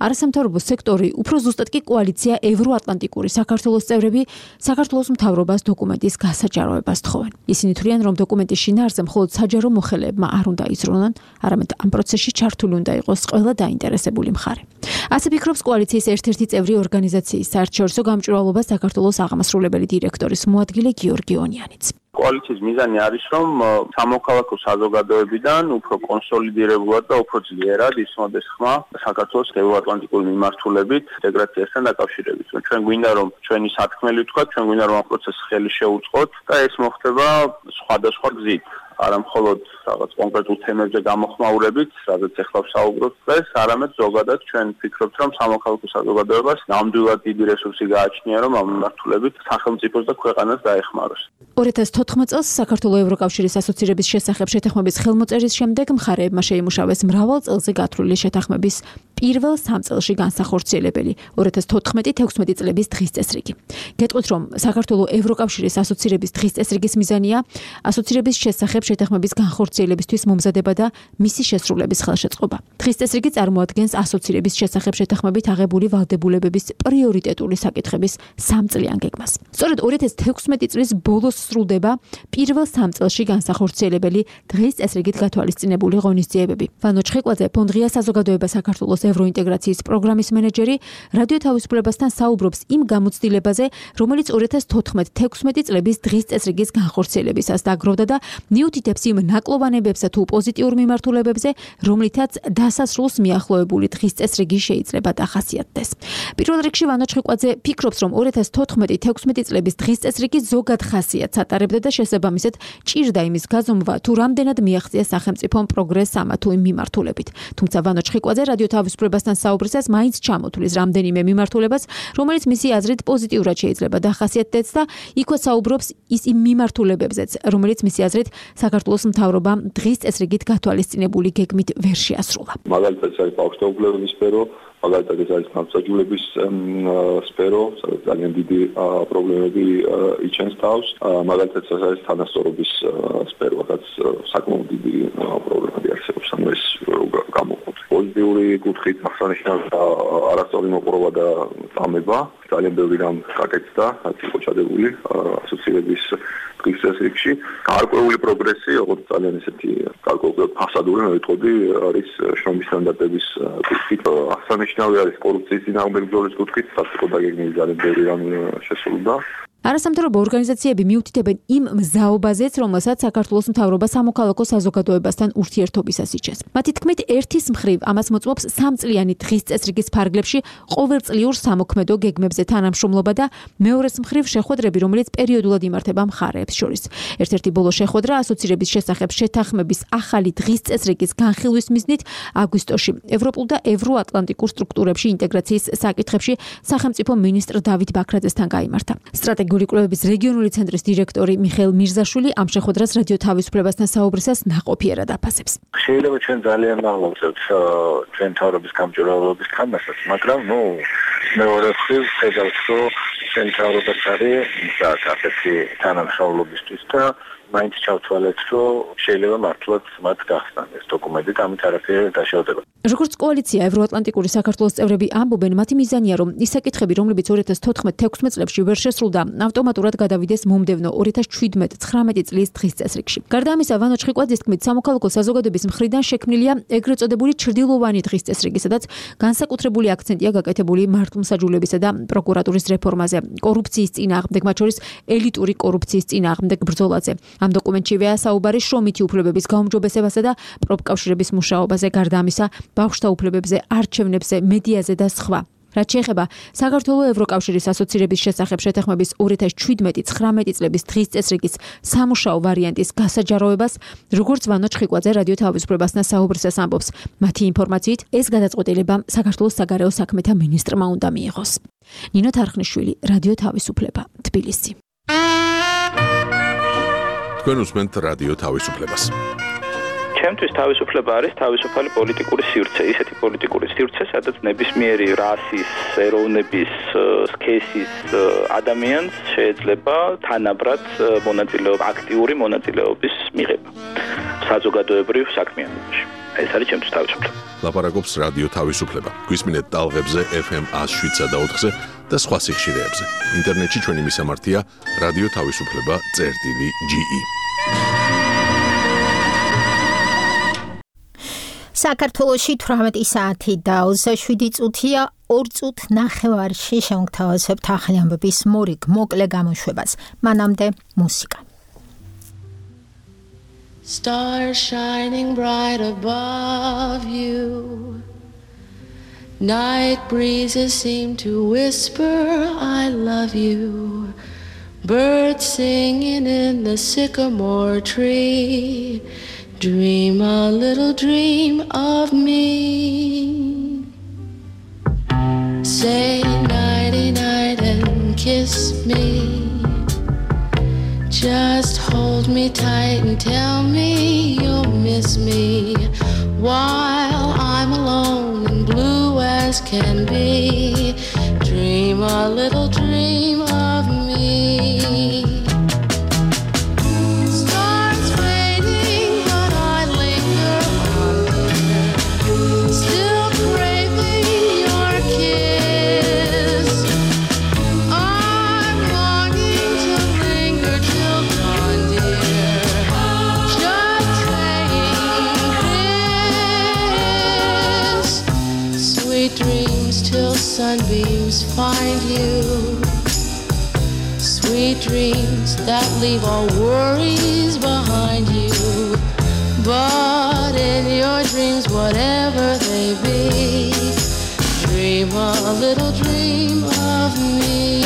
არასამთავრობო სექტორი, უფრო ზუსტად კი კოალიცია ევროატლანტიკური საქართველოს წევრები საქართველოს მთავრობას დოკუმენტის გასაჯაროებას თხოვენ. ისინი თვლიან, რომ დოკუმენტის შინაარსზე მხოლოდ საჯარო მოხელეებმა არ უნდა იზრუნონ, არამედ ამ პროცესში ჩართული უნდა იყოს ყველა დაინტერესებული მხარე. ასე ფიქრობს კოალიციის ერთ-ერთი წევრი ორგანიზაციის საერთაშორისო გამჭვირვალობა საქართველოს აღმასრულებელი დირექტორის მოადგილე გიორგი ონიანიც. კოალიციის მიზანი არის, რომ სამოქალაქო საზოგადოებიდან უფრო კონსოლიდირებულად და უფრო ძლიერად ისმოდეს ხმა საქართველოს ევროატლანტიკური მიმართულებით ინტეგრაციასთან დაკავშირებით. ჩვენ გვინდა, რომ ჩვენი სათქმელი ვთქვათ, ჩვენ გვინდა, რომ ამ პროცესს ხელი შეუწყოთ და ეს მოხდება სხვადასხვა გზით. არა მხოლოდ რაღაც კონკრეტულ თემებზე გამოხმაურებით, სადაც ახლა ვსაუბრობთ დღეს, არამედ ზოგადად ჩვენ ვფიქრობთ, რომ სამოქალაქო საზოგადოებას ნამდვილად დიდი რესურსი გააჩნია, რომ ამ მიმართულებით სახელმწიფოს და ქვეყანას დაეხმაროს. 2014 წელს საქართველოს ევროკავშირის ასოცირების შესახებ შეთანხმების ხელმოწერის შემდეგ მხარეებმა შეიმუშავეს მრავალ წელზე გათვლილი შეთანხმების პირველ 3 წელში განსახორციელებელი 2014-16 წლების დღის წესრიგი. გეტყვით, რომ საქართველოს ევროკავშირის ასოცირების დღის წესრიგის მიზანია ასოცირების შესახებ შეთანხმების განხორციელებისთვის მომზადება და მისი შესრულების ხელშეწყობა. დღის წესრიგი წარმოადგენს ასოცირების შესახებ შეთანხმებით აღებული ვალდებულებების პრიორიტეტული საკითხების 3 წლიან გეგმას. სწორედ 2016 წლის ბოლოს სრულდება პირველ 3 წელში განსახორციელებელი დღის წესრიგით გათვალისწინებული ღონისძიებები. ვანო ჩხიკვაძე, ფონდღია საზოგადოება საქართველოს ევროინტეგრაციის პროგრამის მენეჯერი, რადიო თავისუფლებასთან საუბრობს იმ გამოცდილებაზე, რომელიც 2014-16 წლების დღის წესრიგის განხორციელებისას დაგროვდა და მიუთითებს იმ ნაკლოვანებებსა თუ პოზიტიურ მიმართულებებზე, რომლითაც დასასრულს მიახლოებული დღის წესრიგი შეიძლება დახასიათდეს. პირველ რიგში ვანო ჩხიკვაძე ფიქრობს, რომ 2014-16 წლების დღის წესრიგი ზოგად ხასიათს ატარებდა და შესაბამისად ჭირდა იმის გაზომვა, თუ რამდენად მიაღწია სახელმწიფომ პროგრესს ამა თუ იმ მიმართულებით. თუმცა ვანო ჩხიკვაძე რადიო თავისუფლებასთან საუბრისას მაინც ჩამოთვლის რამდენიმე მიმართულებას, რომელიც მისი აზრით პოზიტიურად შეიძლება დახასიათდეს და იქვე საუბრობს იმ მიმართულებებზეც, რომელიც მისი აზრით საქართველოს მთავრობამ დღის წესრიგით გათვალისწინებული გეგმით ვერ შეასრულა. მაგალითად, ეს არის ბავშვთა სფერო, მაგალითად ეს არის გამსაჯულების სფერო, სადაც ძალიან დიდი პრობლემები იჩენს თავს, მაგალითად ეს არის თანასწორობის სფერო, სადაც საკმაოდ დიდი პრობლემები არსებობს, ანუ ეს გამოყოფს. პოლიტიკური კუთხით აღსანიშნავია არასწორი მოპყრობა და წამება. ძალიან ბევრი რამ გაკეთდა, რაც იყო ჩადებული ასოცირების დღის წესრიგში. გარკვეული პროგრესი, როგორც ძალიან ესეთი გარკვეული ფასადური, მე ვიტყოდი, არის შრომის სტანდარტების კუთხით. აღსანიშნავი არის კორუფციის წინააღმდეგ ბრძოლის კუთხით, რაც იყო დაგეგმილი ძალიან ბევრი რამ შესრულდა. არასამთავრობო ორგანიზაციები მიუთითებენ იმ მზაობაზეც, რომელსაც საქართველოს მთავრობა სამოქალაქო საზოგადოებასთან ურთიერთობისას იჩენს. მათი თქმით, ერთის მხრივ ამას მოწმობს 3 წლიანი დღის წესრიგის ფარგლებში ყოველწლიურ სამოქმედო გეგმებზე თანამშრომლობა და მეორეს მხრივ შეხვედრები, რომელიც პერიოდულად იმართება მხარეებს შორის. ერთ-ერთი ბოლო შეხვედრა ასოცირების შესახებ შეთანხმების ახალი დღის წესრიგის განხილვის მიზნით აგვისტოში ევროპულ და ევროატლანტიკურ სტრუქტურებში ინტეგრაციის საკითხებში სახელმწიფო მინისტრ დავით ბაქრაძესთან გაიმართა. სტრატეგიული კვლევების რეგიონული ცენტრის დირექტორი მიხეილ მირზაშვილი ამ შეხვედრას რადიო თავისუფლებასთან საუბრისას ნაყოფიერად აფასებს. შეიძლება ჩვენ ძალიან მაღლობთ ჩვენ თავრობის გამჭვირვალობის თამაშს, მაგრამ მეორე მხრივ ხედავთ, რომ ჩვენ თავრობას არის ასეთი თანამშრომლობისთვის და მაინც ჩავთვალეთ, რომ შეიძლება მართლაც მათ გახსნან ეს დოკუმენტი და ამით არაფერი დაშავდება. როგორც კოალიცია ევროატლანტიკური საქართველოს წევრები ამბობენ, მათი მიზანია, რომ ის საკითხები, რომლებიც 2014-16 წლებში ვერ შესრულდა, ავტომატურად გადავიდეს მომდევნო 2017-19 წლის დღის წესრიგში. გარდა ამისა, ვანო ჩხიკვაძის თქმით, სამოქალაქო საზოგადოების მხრიდან შექმნილია ეგრეთ წოდებული ჩრდილოვანი დღის წესრიგი, სადაც განსაკუთრებული აქცენტია გაკეთებული მართლმსაჯულებისა და პროკურატურის რეფორმაზე, კორუფციის წინააღმდეგ, მათ შორის ელიტური კორუფციის წინააღმდეგ ბრძოლაზე. ამ დოკუმენტშივეა საუბარი შრომითი უფლებების გაუმჯობესებასა და პროფკავშირების მუშაობაზე, გარდა ამისა, ბავშვთა უფლებებზე, არჩევნებზე, მედიაზე და სხვა. რაც შეეხება საქართველოს ევროკავშირის ასოცირების შესახებ შეთანხმების 2017-19 წლების დღის წესრიგის სამუშაო ვარიანტის გასაჯაროებას, როგორც ვანო ჩხიკვაძე რადიო თავისუფლებასთან საუბრისას ამბობს, მათი ინფორმაციით ეს გადაწყვეტილება საქართველოს საგარეო საქმეთა მინისტრმა უნდა მიიღოს. ნინო თარხნიშვილი, რადიო თავისუფლება, თბილისი. თქვენ უსმენთ რადიო თავისუფლებას. ჩემთვის თავისუფლება არის თავისუფალი პოლიტიკური სივრცე, ისეთი პოლიტიკური სივრცე, სადაც ნებისმიერი რასის, ეროვნების, სქესის ადამიანს შეიძლება თანაბრად აქტიური მონაწილეობის მიღება საზოგადოებრივ საქმიანობაში. ეს არის ჩემთვის თავისუფლება. ლაპარაკობს რადიო თავისუფლება. გვისმინეთ ტალღებზე FM 107 და 4-ზე და სხვა სიხშირეებზე. ინტერნეტში ჩვენი მისამართია რადიო თავისუფლება.ge. საქართველოში 18 საათი და 27 წუთია 2 წუთ ნახევარში შევთავაზებთ ახალი ამბების მორიგ მოკლე გამოშვებას. მანამდე მუსიკა. Stars shining bright above you. Night breezes seem to whisper I love you. Birds singing in the sycamore tree. Dream a little dream of me. Say nighty night and kiss me. Just hold me tight and tell me you'll miss me while I'm alone and blue as can be. Dream a little dream of me. Stars fading, but I linger on there, still craving your kiss. I'm longing to linger till dawn, dear, just saying this. Sweet dreams till sunbeams find you. Sweet dreams that leave all worries behind you. But in your dreams, whatever they be, dream a little dream of me.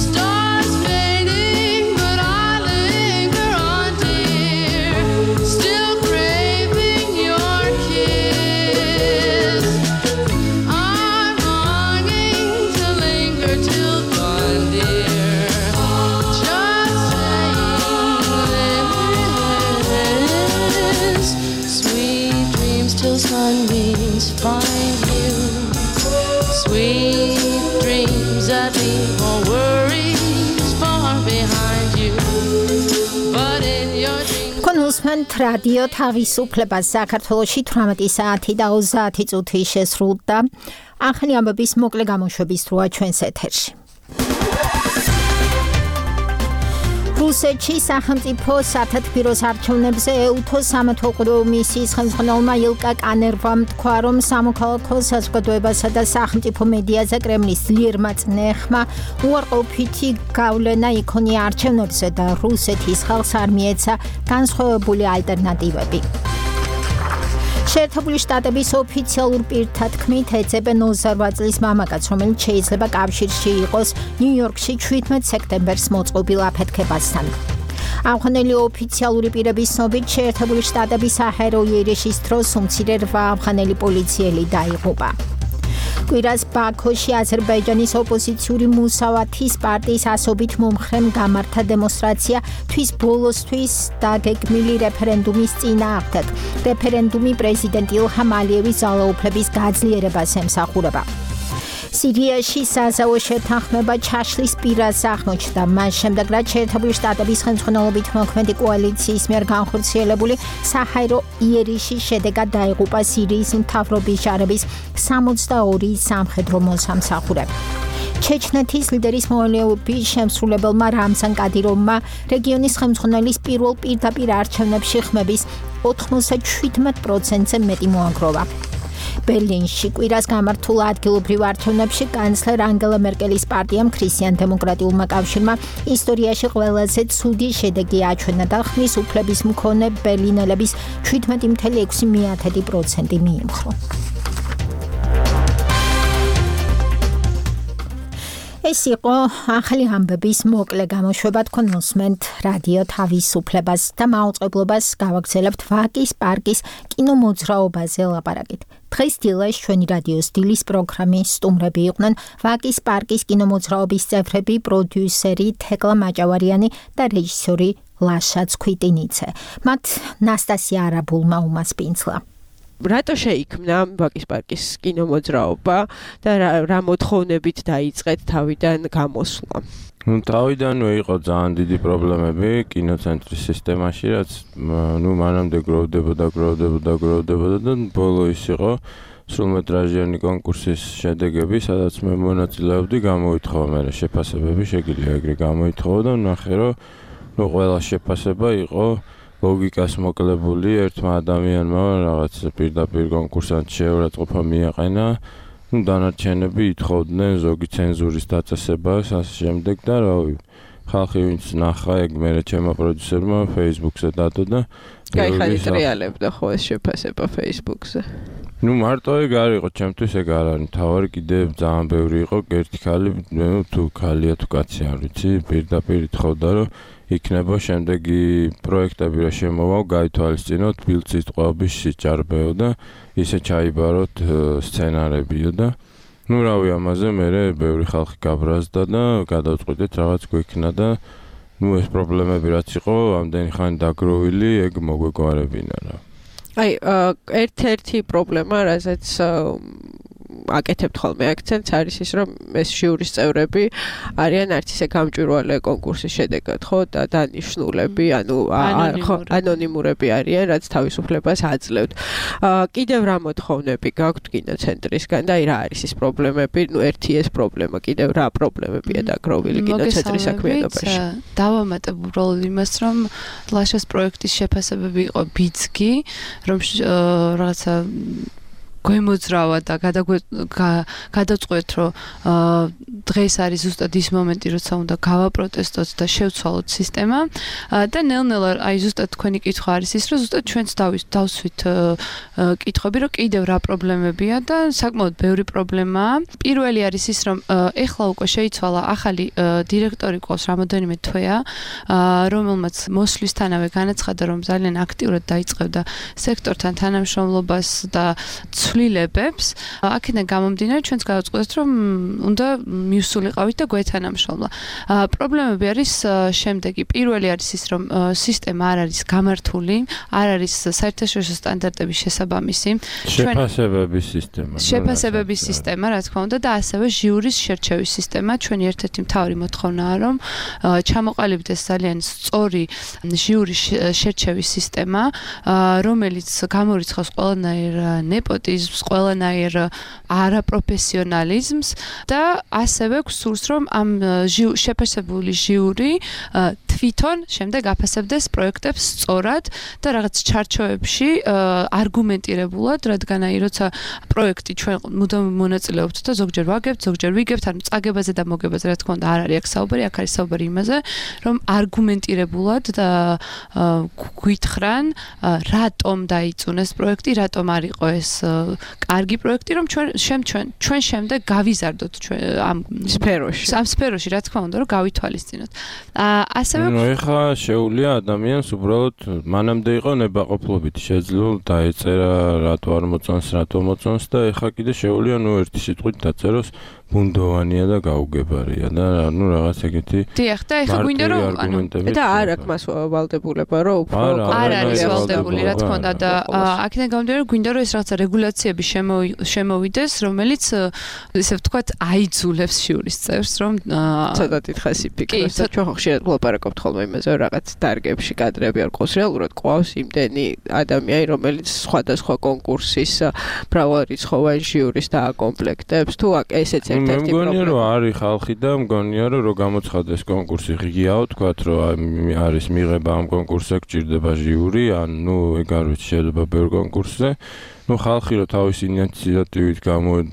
Stars fading, but I linger on, dear, still თქვენ უსმენთ რადიო თავისუფლებას საქართველოში 18 საათი და 30 წუთი შესრულდა. ახალი ამბების მოკლე გამოშვების დროა ჩვენს ეთერში. რუსეთში სახელმწიფო სათათბიროს არჩევნებზე ეუთო სამეთვალყურეო მისიის ხელმძღვანელმა ილკა კანერვამ თქვა, რომ სამოქალაქო საზოგადოებასა და სახელმწიფო მედიაზე კრემლის ძლიერმა წნეხმა უარყოფითი გავლენა იქონია არჩევნებზე და რუსეთის ხალხს არ მიეცა განსხვავებული ალტერნატივები. შეერთებული შტატების ოფიციალურ პირთა თქმით ეძებენ 28 წლის მამაკაცს, რომელიც შეიძლება კავშირში იყოს ნიუ-იორკში 17 სექტემბერს მოწყობილ აფეთქებასთან. ავღანელი ოფიციალური პირების ცნობით, შეერთებული შტატების საჰაერო იერიში დროს უმცირე 8 ავღანელი პოლიციელი დაიღუპა. კვირას ბაქოში აზერბაიჯანის ოპოზიციური მუსავათის პარტიის ასობით მომხრემ გამართა დემონსტრაცია თვის ბოლოსთვის დაგეგმილი რეფერენდუმის წინააღმდეგ. რეფერენდუმი პრეზიდენტ ილჰამ ალიევის ძალაუფლების გაძლიერებას ემსახურება. სირიაში საზავო შეთანხმება ჩაშლის პირას აღმოჩნდა. მას შემდეგ, რაც შეერთებული შტატების ხელმძღვანელობით მოქმედი კოალიციის მიერ განხორციელებული საჰაერო იერიში შედეგად დაიღუპა სირიის მთავრობის ჯარების 62 სამხედრო მოსამსახურე. ჩეჩნეთის ლიდერის მოვალეობის შემსრულებელმა რამზან კადიროვმა რეგიონის ხელმძღვანელის პირველ პირდაპირ არჩევნებში ხმების 97%-ზე მეტი მოაგროვა. ბერლინში კვირას გამართულ ადგილობრივ არჩევნებში კანცლერ ანგელა მერკელის პარტიამ ქრისტიან-დემოკრატიულმა კავშირმა ისტორიაში ყველაზე ცუდი შედეგი აჩვენა და ხმის უფლების მქონე ბერლინელების 17.6% მიიმხრო. ეს იყო ახალი ამბების მოკლე გამოშვება. თქვენ უსმენთ რადიო თავისუფლებას და მაუწყებლობას გავაგრძელებთ ვაკის პარკის კინომოძრაობაზე ლაპარაკით. დღეს დილას ჩვენი რადიოს დილის პროგრამის სტუმრები იყვნენ ვაკის პარკის კინომოძრაობის წევრები, პროდიუსერი თეკლა მაჭავარიანი და რეჟისორი ლაშა ცქვიტინიცე. მათ ნასტასია არაბულმა უმასპინძლა. რატო შეიქმნა ვაკის პარკის კინომოძრაობა და რა მოთხოვნებით დაიწყეთ თავიდან გამოსვლა? თავიდანვე იყო ძალიან დიდი პრობლემები კინოცენტრის სისტემაში, რაც მანამდე გროვდებოდა და ბოლო ის იყო სრულმეტრაჟიანი კონკურსის შედეგები, სადაც მე მონაწილეობდი, გამოითხოვა მე შეფასებები, შეგიძლია ეგრე გამოითხოვა და ნახე, რომ ყველა შეფასება იყო ლოგიკას მოკლებული, ერთმა ადამიანმა რაღაც პირდაპირ კონკურსანტ შეურაცხყოფა მიაყენა, დანარჩენები ითხოვდნენ ზოგი ცენზურის დაწესებას, ასე შემდეგ და რავი, ხალხი ვინც ნახა, ეგ მერე ჩემმა პროდიუსერმა Facebook-ზე დადო და გაიხარი ტრიალებდა ხო ეს შეფასება Facebook-ზე. მარტო ეგ არ იყო, ჩემთვის ეგ არ არის მთავარი, კიდევ ძალიან ბევრი იყო, ერთი ხალი, თუ ხალია თუ კაცი არ ვიცი, პირდაპირ ითხოვდა, რომ იქნება შემდეგი პროექტები რა შემოვალ, გაითვალისწინოთ ბილწის ტყვეობის სიჭარბეო და ისე ჩაიბაროთ სცენარებიო და რავი, ამაზე მერე ბევრი ხალხი გაბრაზდა და გადავწყვიტეთ რაღაც გვექნა და ეს პრობლემები რაც იყო, ამდენი ხანი დაგროვილი, ეგ მოგვეგვარებინა რა. აი, ერთ-ერთი პრობლემა, რასაც აკეთებთ ხოლმე აქცენტს არის ის, რომ ეს ჟიურის წევრები არიან არც ისე გამჭვირვალე კონკურსის შედეგად, ხო, და დანიშნულები, ანონიმურები არიან, რაც თავისუფლებას აძლევთ. კიდევ რა მოთხოვნები გაქვთ კინოცენტრისგან და აი რა არის ის პრობლემები? ერთი ეს პრობლემა, კიდევ რა პრობლემებია დაგროვილი კინოცენტრის საქმიანობაში? დავამატებ უბრალოდ იმას, რომ ლაშას პროექტის შეფასებები იყო ბიძგი, რომ რაღაცა გვემოძრავა და გადავწყვეტ, რომ დღეს არის ზუსტად ის მომენტი, როცა უნდა გავაპროტესტოთ და შევცვალოთ სისტემა და ნელ-ნელა აი ზუსტად თქვენი კითხვა არის ის, რომ ზუსტად ჩვენც დავსვით კითხვები, რომ კიდევ რა პრობლემებია და საკმაოდ ბევრი პრობლემაა. პირველი არის ის, რომ ეხლა უკვე შეიცვალა ახალი დირექტორი ყავს რამოდენიმე თვეა, რომელმაც მოსვლისთანავე განაცხადა, რომ ძალიან აქტიურად დაიწყებდა სექტორთან თანამშრომლობას და ცვლილებებს, აქედან გამომდინარე ჩვენც გავაწყვეტეთ, რომ უნდა მივსულიყავით და გვეთანამშრომლა. პრობლემები არის შემდეგი. პირველი არის ის, რომ სისტემა არ არის გამართული, არ არის საერთაშორისო სტანდარტების შესაბამისი. შეფასებების სისტემა, რა თქმა უნდა, და ასევე ჟიურის შერჩევის სისტემა. ჩვენი ერთ-ერთი მთავარი მოთხოვნაა, რომ ჩამოყალიბდეს ძალიან სწორი ჟიურის შერჩევის სისტემა, რომელიც გამორიცხავს ყველანაირ ნეპოტიზმს, ყველანაირ არაპროფესიონალიზმს და ასევე გსურს, რომ ამ შეფასებული ჟიური თვითონ შემდეგ აფასებდეს პროექტებს სწორად და რაღაც ჩარჩოებში არგუმენტირებულად, რადგან როცა პროექტი ჩვენ მუდამ მონაწილეობთ და ზოგჯერ ვაგებთ, ზოგჯერ ვიგებთ, ანუ წაგებაზე და მოგებაზე, რა თქმა უნდა, არ არის აქ საუბარი, აქ არის საუბარი იმაზე, რომ არგუმენტირებულად და გვითხრან, რატომ დაიწუნეს პროექტი, რატომ არ იყო ეს კარგი პროექტი, რომ ჩვენ შემდეგ გავიზარდოთ ამ სფეროში, რა თქმა უნდა, რომ გავითვალისწინოთ. ასევე ეხლა შეუძლია ადამიანს უბრალოდ მანამდე იყო ნებაყოფლობით, შეძლო დაეწერა, რატო არ მოწონს, რატო მოწონს და ეხლა კიდე შეუძლია ერთი სიტყვით დაწეროს ბუნდოვანია და გაუგებარია და რაღაც ეგეთი. დიახ, და ეხლა გვინდა რომ და არ აქვს მას ვალდებულება, რომ უფრო არ არის ვალდებული, რა თქმა უნდა და აქედან გამომდინარე რომ გვინდა რომ ეს რაღაცა რეგულაციები შემოვიდეს, რომელიც ესე ვთქვათ აიძულებს ჟიურის წევრს, რომ ცოტა დიდხანს იფიქროს. ჩვენ ხშირად ვლაპარაკობთ ხოლმე იმაზე, რომ რაღაც დარგებში კადრები არ ყავს, რეალურად ყავს იმდენი ადამიანი, რომელიც სხვადასხვა კონკურსის მრავალრიცხოვან ჟიურის დააკომპლექტებს, თუ ესეც მე მგონია რომ არის ხალხი და მგონია რომ გამოცხადდეს კონკურსი ღიაო თქვათ რომ არის მიღება ამ კონკურსზე გჭირდება ჟიური ან ეგ არ ვიცი შეიძლება ბევრ კონკურსზე ხალხი რომ თავის ინიციატივით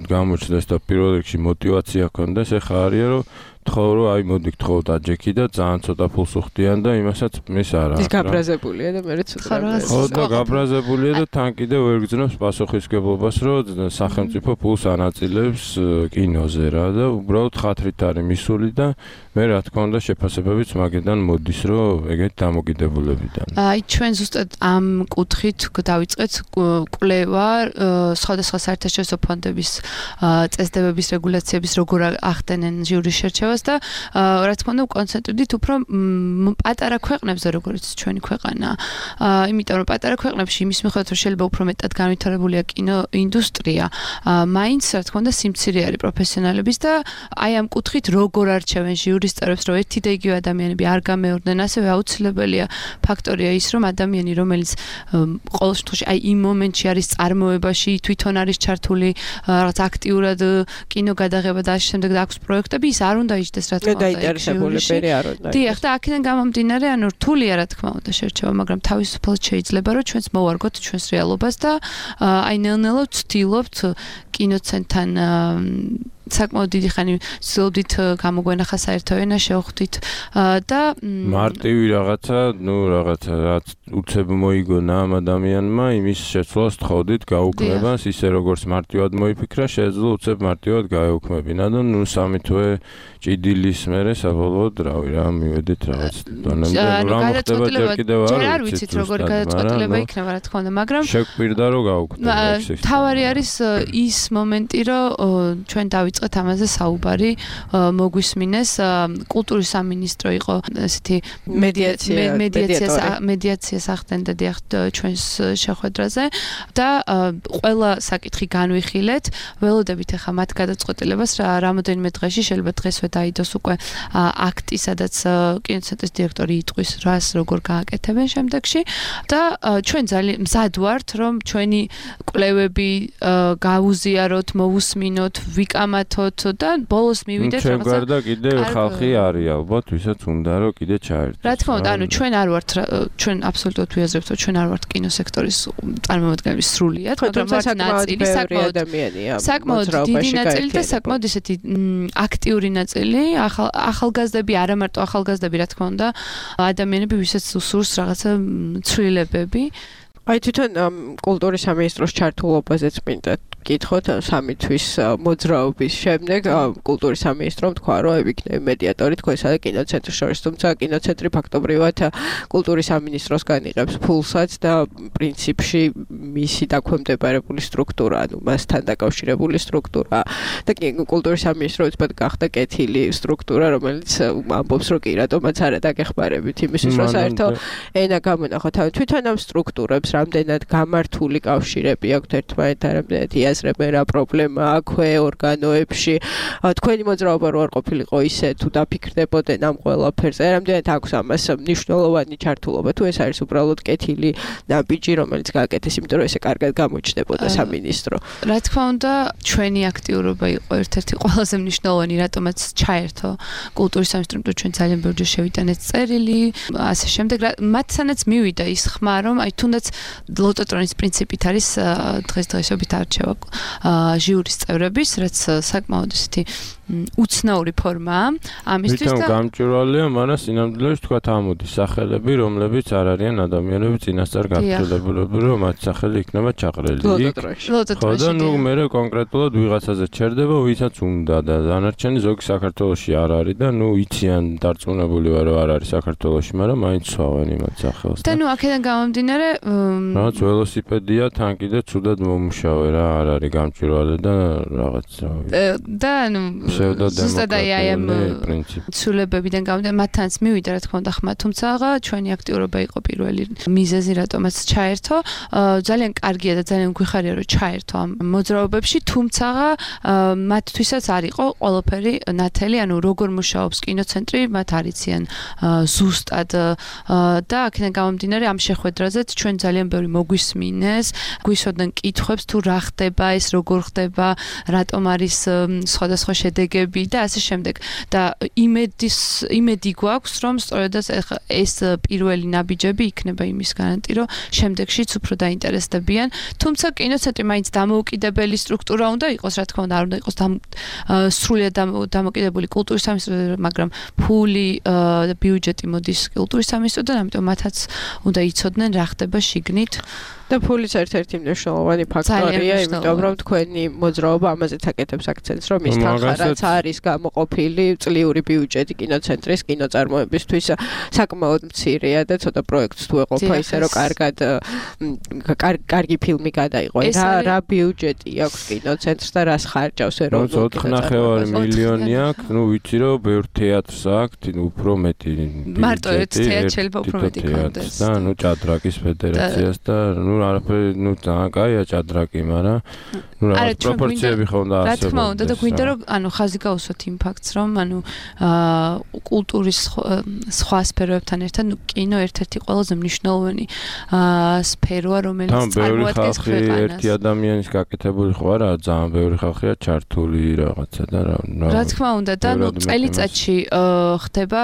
გამოჩნდეს და პირველ რიგში мотиваცია ჰქონდეს ეხა არის რომ თხოვრო აი მოდი გთხოვთ აჯექი და ძალიან ცოტა ფულს უხდიან და იმასაც მის არ აქვს. ის გაბრაზებულია და მე ცოტა. ხო და გაბრაზებულია და თან კიდევ ვერ გძნობს პასუხისგებლობას რომ სახელმწიფო ფულს ანაწილებს კინოზე რა და უბრალოდ ხათრით არის მისული და მე რა თქმა უნდა შეფასებებიც მაგედან მოდის რომ ეგეთ დამოკიდებულებიდან. აი ჩვენ ზუსტად ამ კუთხით დავიწყეთ კვლევა სხვადასხვა საერთაშორისო ფონდების წესდებების რეგულაციების როგორ ახდენენ ჟიურის შერჩევას და რა თქმა უნდა კონცენტრირდით უფრო პატარა ქვეყნებზე როგორც ჩვენი ქვეყანა. იმიტომ რომ პატარა ქვეყნებში იმის მიხედვით რომ შეიძლება უფრო მეტად განვითარებულია კინოინდუსტრია, მაინც რა თქმა უნდა სიმცირე არის პროფესიონალების და აი ამ კუთხით როგორ არჩევენ ჟიურის წევრებს, რომ ერთი და იგივე ადამიანები არ გამეორდნენ, ასევე აუცილებელია ფაქტორია ის, რომ ადამიანი, რომელიც ყოველ შემთხვევაში აი იმ მომენტში არის წარმოებაში, თვითონ არის ჩართული რაღაც აქტიურად კინო გადაღება და ამ შემდეგ აქვს პროექტები, ის არ უნდა იჯდეს რა თქმა უნდა. დაინტერესებულები არ უნდა. დიახ, და აქედან გამომდინარე, ანუ რთულია რა თქმა უნდა შერჩევა, მაგრამ თავისუფლად შეიძლება რომ ჩვენც მოვარგოთ ჩვენს რეალობას და აი ნელ-ნელა ვცდილობთ კინოცენტრთან საკმაოდ დიდი ხანი ვცდილობდით გამოგვენახა საერთო ენა შევხვდით და მარტივი რაღაცა, რაღაცა რაც უცებ მოიგონა ამ ადამიანმა, იმის შეცვლას თხოვდით გაუქმებას, ისე როგორც მარტივად მოიფიქრა, შეეძლო უცებ მარტივად გაეუქმებინა და სამი თვე ჭიდილის მერე საბოლოოდ რავი რა მივედით რაღაც დონემდე რა მოხდება ჯერ კიდევ არ ვიცით როგორი გადაწყვეტილება იქნება რა თქმა უნდა, მაგრამ შეგვპირდა რომ გაუქმდა ეს. თავარი არის ის მომენტი, რომ ჩვენ დავიწყეთ ამაზე საუბარი, მოგვისმინეს კულტურის სამინისტრო იყო ესეთი მედიაციას ახდენდა დიახ ჩვენს შეხვედრაზე და ყველა საკითხი განვიხილეთ, ველოდებით ახლა მათ გადაწყვეტილებას რამოდენიმე დღეში შეიძლება დღესვე დაიდოს უკვე აქტი, სადაც კინოცენტრის დირექტორი იტყვის რას როგორ გააკეთებენ შემდეგში და ჩვენ ძალიან მზად ვართ რომ ჩვენი კვლევები გავუზიაროთ, მოვუსმინოთ, ვიკამათოთ და ბოლოს მივიდეთ რაღაცა. ჩვენ გარდა კიდე ხალხი არის ალბათ, ვისაც უნდა რომ კიდე ჩაერთოს. რა თქმა უნდა, ანუ ჩვენ არ ვართ, ჩვენ აბსოლუტურად ვიაზრებთ, რომ ჩვენ არ ვართ კინოსექტორის წარმომადგენლები სრულიად, მაგრამ ვართ ნაწილი, საკმაოდ დიდი ნაწილი და საკმაოდ ისეთი აქტიური ნაწილი, ახალგაზრდები, არა მარტო ახალგაზრდები, რა თქმა უნდა, ადამიანები, ვისაც უსურს რაღაცა ცვლილებები. აი თვითონ კულტურის სამინისტროს ჩართულობაზეც მინდა გითხოთ 3 თვის მოძრაობის შემდეგ კულტურის სამინისტრომ თქვა რომ ებიქნები მედიატორი თქვენსა და კინოცენტრს შორის თუმცა კინოცენტრი ფაქტობრივად კულტურის სამინისტროსგან იღებს ფულსაც და პრინციპში მისი დაქვემდებარებული სტრუქტურა ანუ მასთან დაკავშირებული სტრუქტურა და კულტურის სამინისტრო უცბად გახდა კეთილი სტრუქტურა რომელიც ამბობს რომ კი რატომაც არა დაგეხმარებით იმისთვის რომ საერთო ენა გამონახოთ თვითონ ამ სტრუქტურებს რამდენად გამართული კავშირები აქვთ ერთმანეთთან რამდენად იაზრებენ რა პრობლემა აქვე ორგანოებში თქვენი მოძრაობა რო არ ყოფილიყო ისე თუ დაფიქრდებოდნენ ამ ყველაფერზე რამდენად აქვს ამას მნიშვნელოვანი ჩართულობა თუ ეს არის უბრალოდ კეთილი ნაბიჯი რომელიც გააკეთეს იმიტომ რომ ესე კარგად გამოჩნდებოდა სამინისტრო რა თქმა უნდა ჩვენი აქტიურობა იყო ერთ-ერთი ყველაზე მნიშვნელოვანი რატომაც ჩაერთო კულტურის სამინისტრომ ჩვენ ძალიან ბევრჯერ შევიტანეთ წერილი ასე შემდეგ მათთანაც მივიდა ის ხმა რომ აი თუნდაც ლოტოტრონის პრინციპით არის დღესდღეობით არჩევა ჟიურის წევრების რაც საკმაოდ ისეთი უცნაური ფორმაა ამისთვის და გამჭვირვალეა მაგრამ სინამდვილეში თქვა ამოდის სახელები რომლებიც არ არიან ადამიანები წინასწარ გაფრთხილებულები რომ მათ სახელი იქნება ჩაყრელი ხო და ნუ მე კონკრეტულად ვიღაცაზე ჩერდება ვისაც უნდა და დანარჩენი ზოგი საქართველოში არ არის და ნუ იციან დარწმუნებული ვარ რომ არ არის საქართველოში მაგრამ მაინც ცვავენ იმათ სახელს და ნუ აქედან გამომდინარე რაღაც ველოსიპედია თან კიდე ცუდად მომუშავე რა არ არის გამჭვირვალე და რაღაც და ნუ ზუსტად აი ამ ცვლილებებიდან გამომდინარე მათთანაც მივიდა რა თქმა უნდა ხმა თუმცა ჩვენი აქტიურობა იყო პირველი მიზეზი რატომაც ჩაერთო ძალიან კარგია და ძალიან გვიხარია რომ ჩაერთო ამ მოძრაობებში თუმცა მათთვისაც არ იყო ყველაფერი ნათელი ანუ როგორ მუშაობს კინოცენტრი მათ არიციან ზუსტად და აქედან გამომდინარე ამ შეხვედრაზეც ჩვენ ძალიან ბევრი მოგვისმინეს გვისვოდნენ კითხვებს თუ რა ხდება ეს როგორ ხდება რატომ არის სხვადასხვა შედეგები და ასე შემდეგ და იმედი გვაქვს რომ სწორედაც ეს პირველი ნაბიჯები იქნება იმის გარანტი რომ შემდეგშიც უფრო დაინტერესდებიან თუმცა კინოცენტრი მაინც დამოუკიდებელი სტრუქტურა უნდა იყოს რა თქმა უნდა არ უნდა იყოს სრულიად დამოკიდებული კულტურის სამინისტროსთან მაგრამ ფული და ბიუჯეტი მოდის კულტურის სამინისტროსთან ამიტომ მათაც უნდა იცოდნენ რა ხდება შიგნით და ფულის ერთ-ერთი მნიშვნელოვანი ფაქტორია, იმიტომ რომ თქვენი მოძრაობა ამაზეც აკეთებს აქცენტს, რომ ის თანხარაც არის გამოყოფილი წლიური ბიუჯეტი კინოცენტრის კინოწარმოებისთვის საკმაოდ მცირეა და ცოტა პროექტს თუ ეყოფა ისე რომ კარგი ფილმი გადაიღო. რა ბიუჯეტი აქვს კინოცენტრს და რას ხარჯავს ეროვნულ კინოწარმოებაზე? 4,5 მილიონი აქვს, ну ვიცი რომ ბევრ თეატრს აქვს, უფრო მეტი მარტო ერთ თეატრს შეიძლება უფრო მეტი კონდეს. და ну ჭადრაკის ფედერაციას და ну არაფერი ну ძალიან კაია ჭადრაკი, მაგრამ ну რაღაც პროპორციები ხო უნდა არსებობდეს. რა თქმა უნდა და გვინდა რომ ანუ ხაზი გაუსვათ იმ ფაქტს რომ ანუ კულტურის სხვა სფეროებთან ერთად ну კინო ერთ-ერთი ყველაზე მნიშვნელოვანი სფეროა რომელიც წარმოადგენს ქვეყანას. ერთი ადამიანის გაკეთებული ხო არა, ძალიან ბევრი ხალხია ჩართული რაღაცა და რა თქმა უნდა და ну წელიწადში ხდება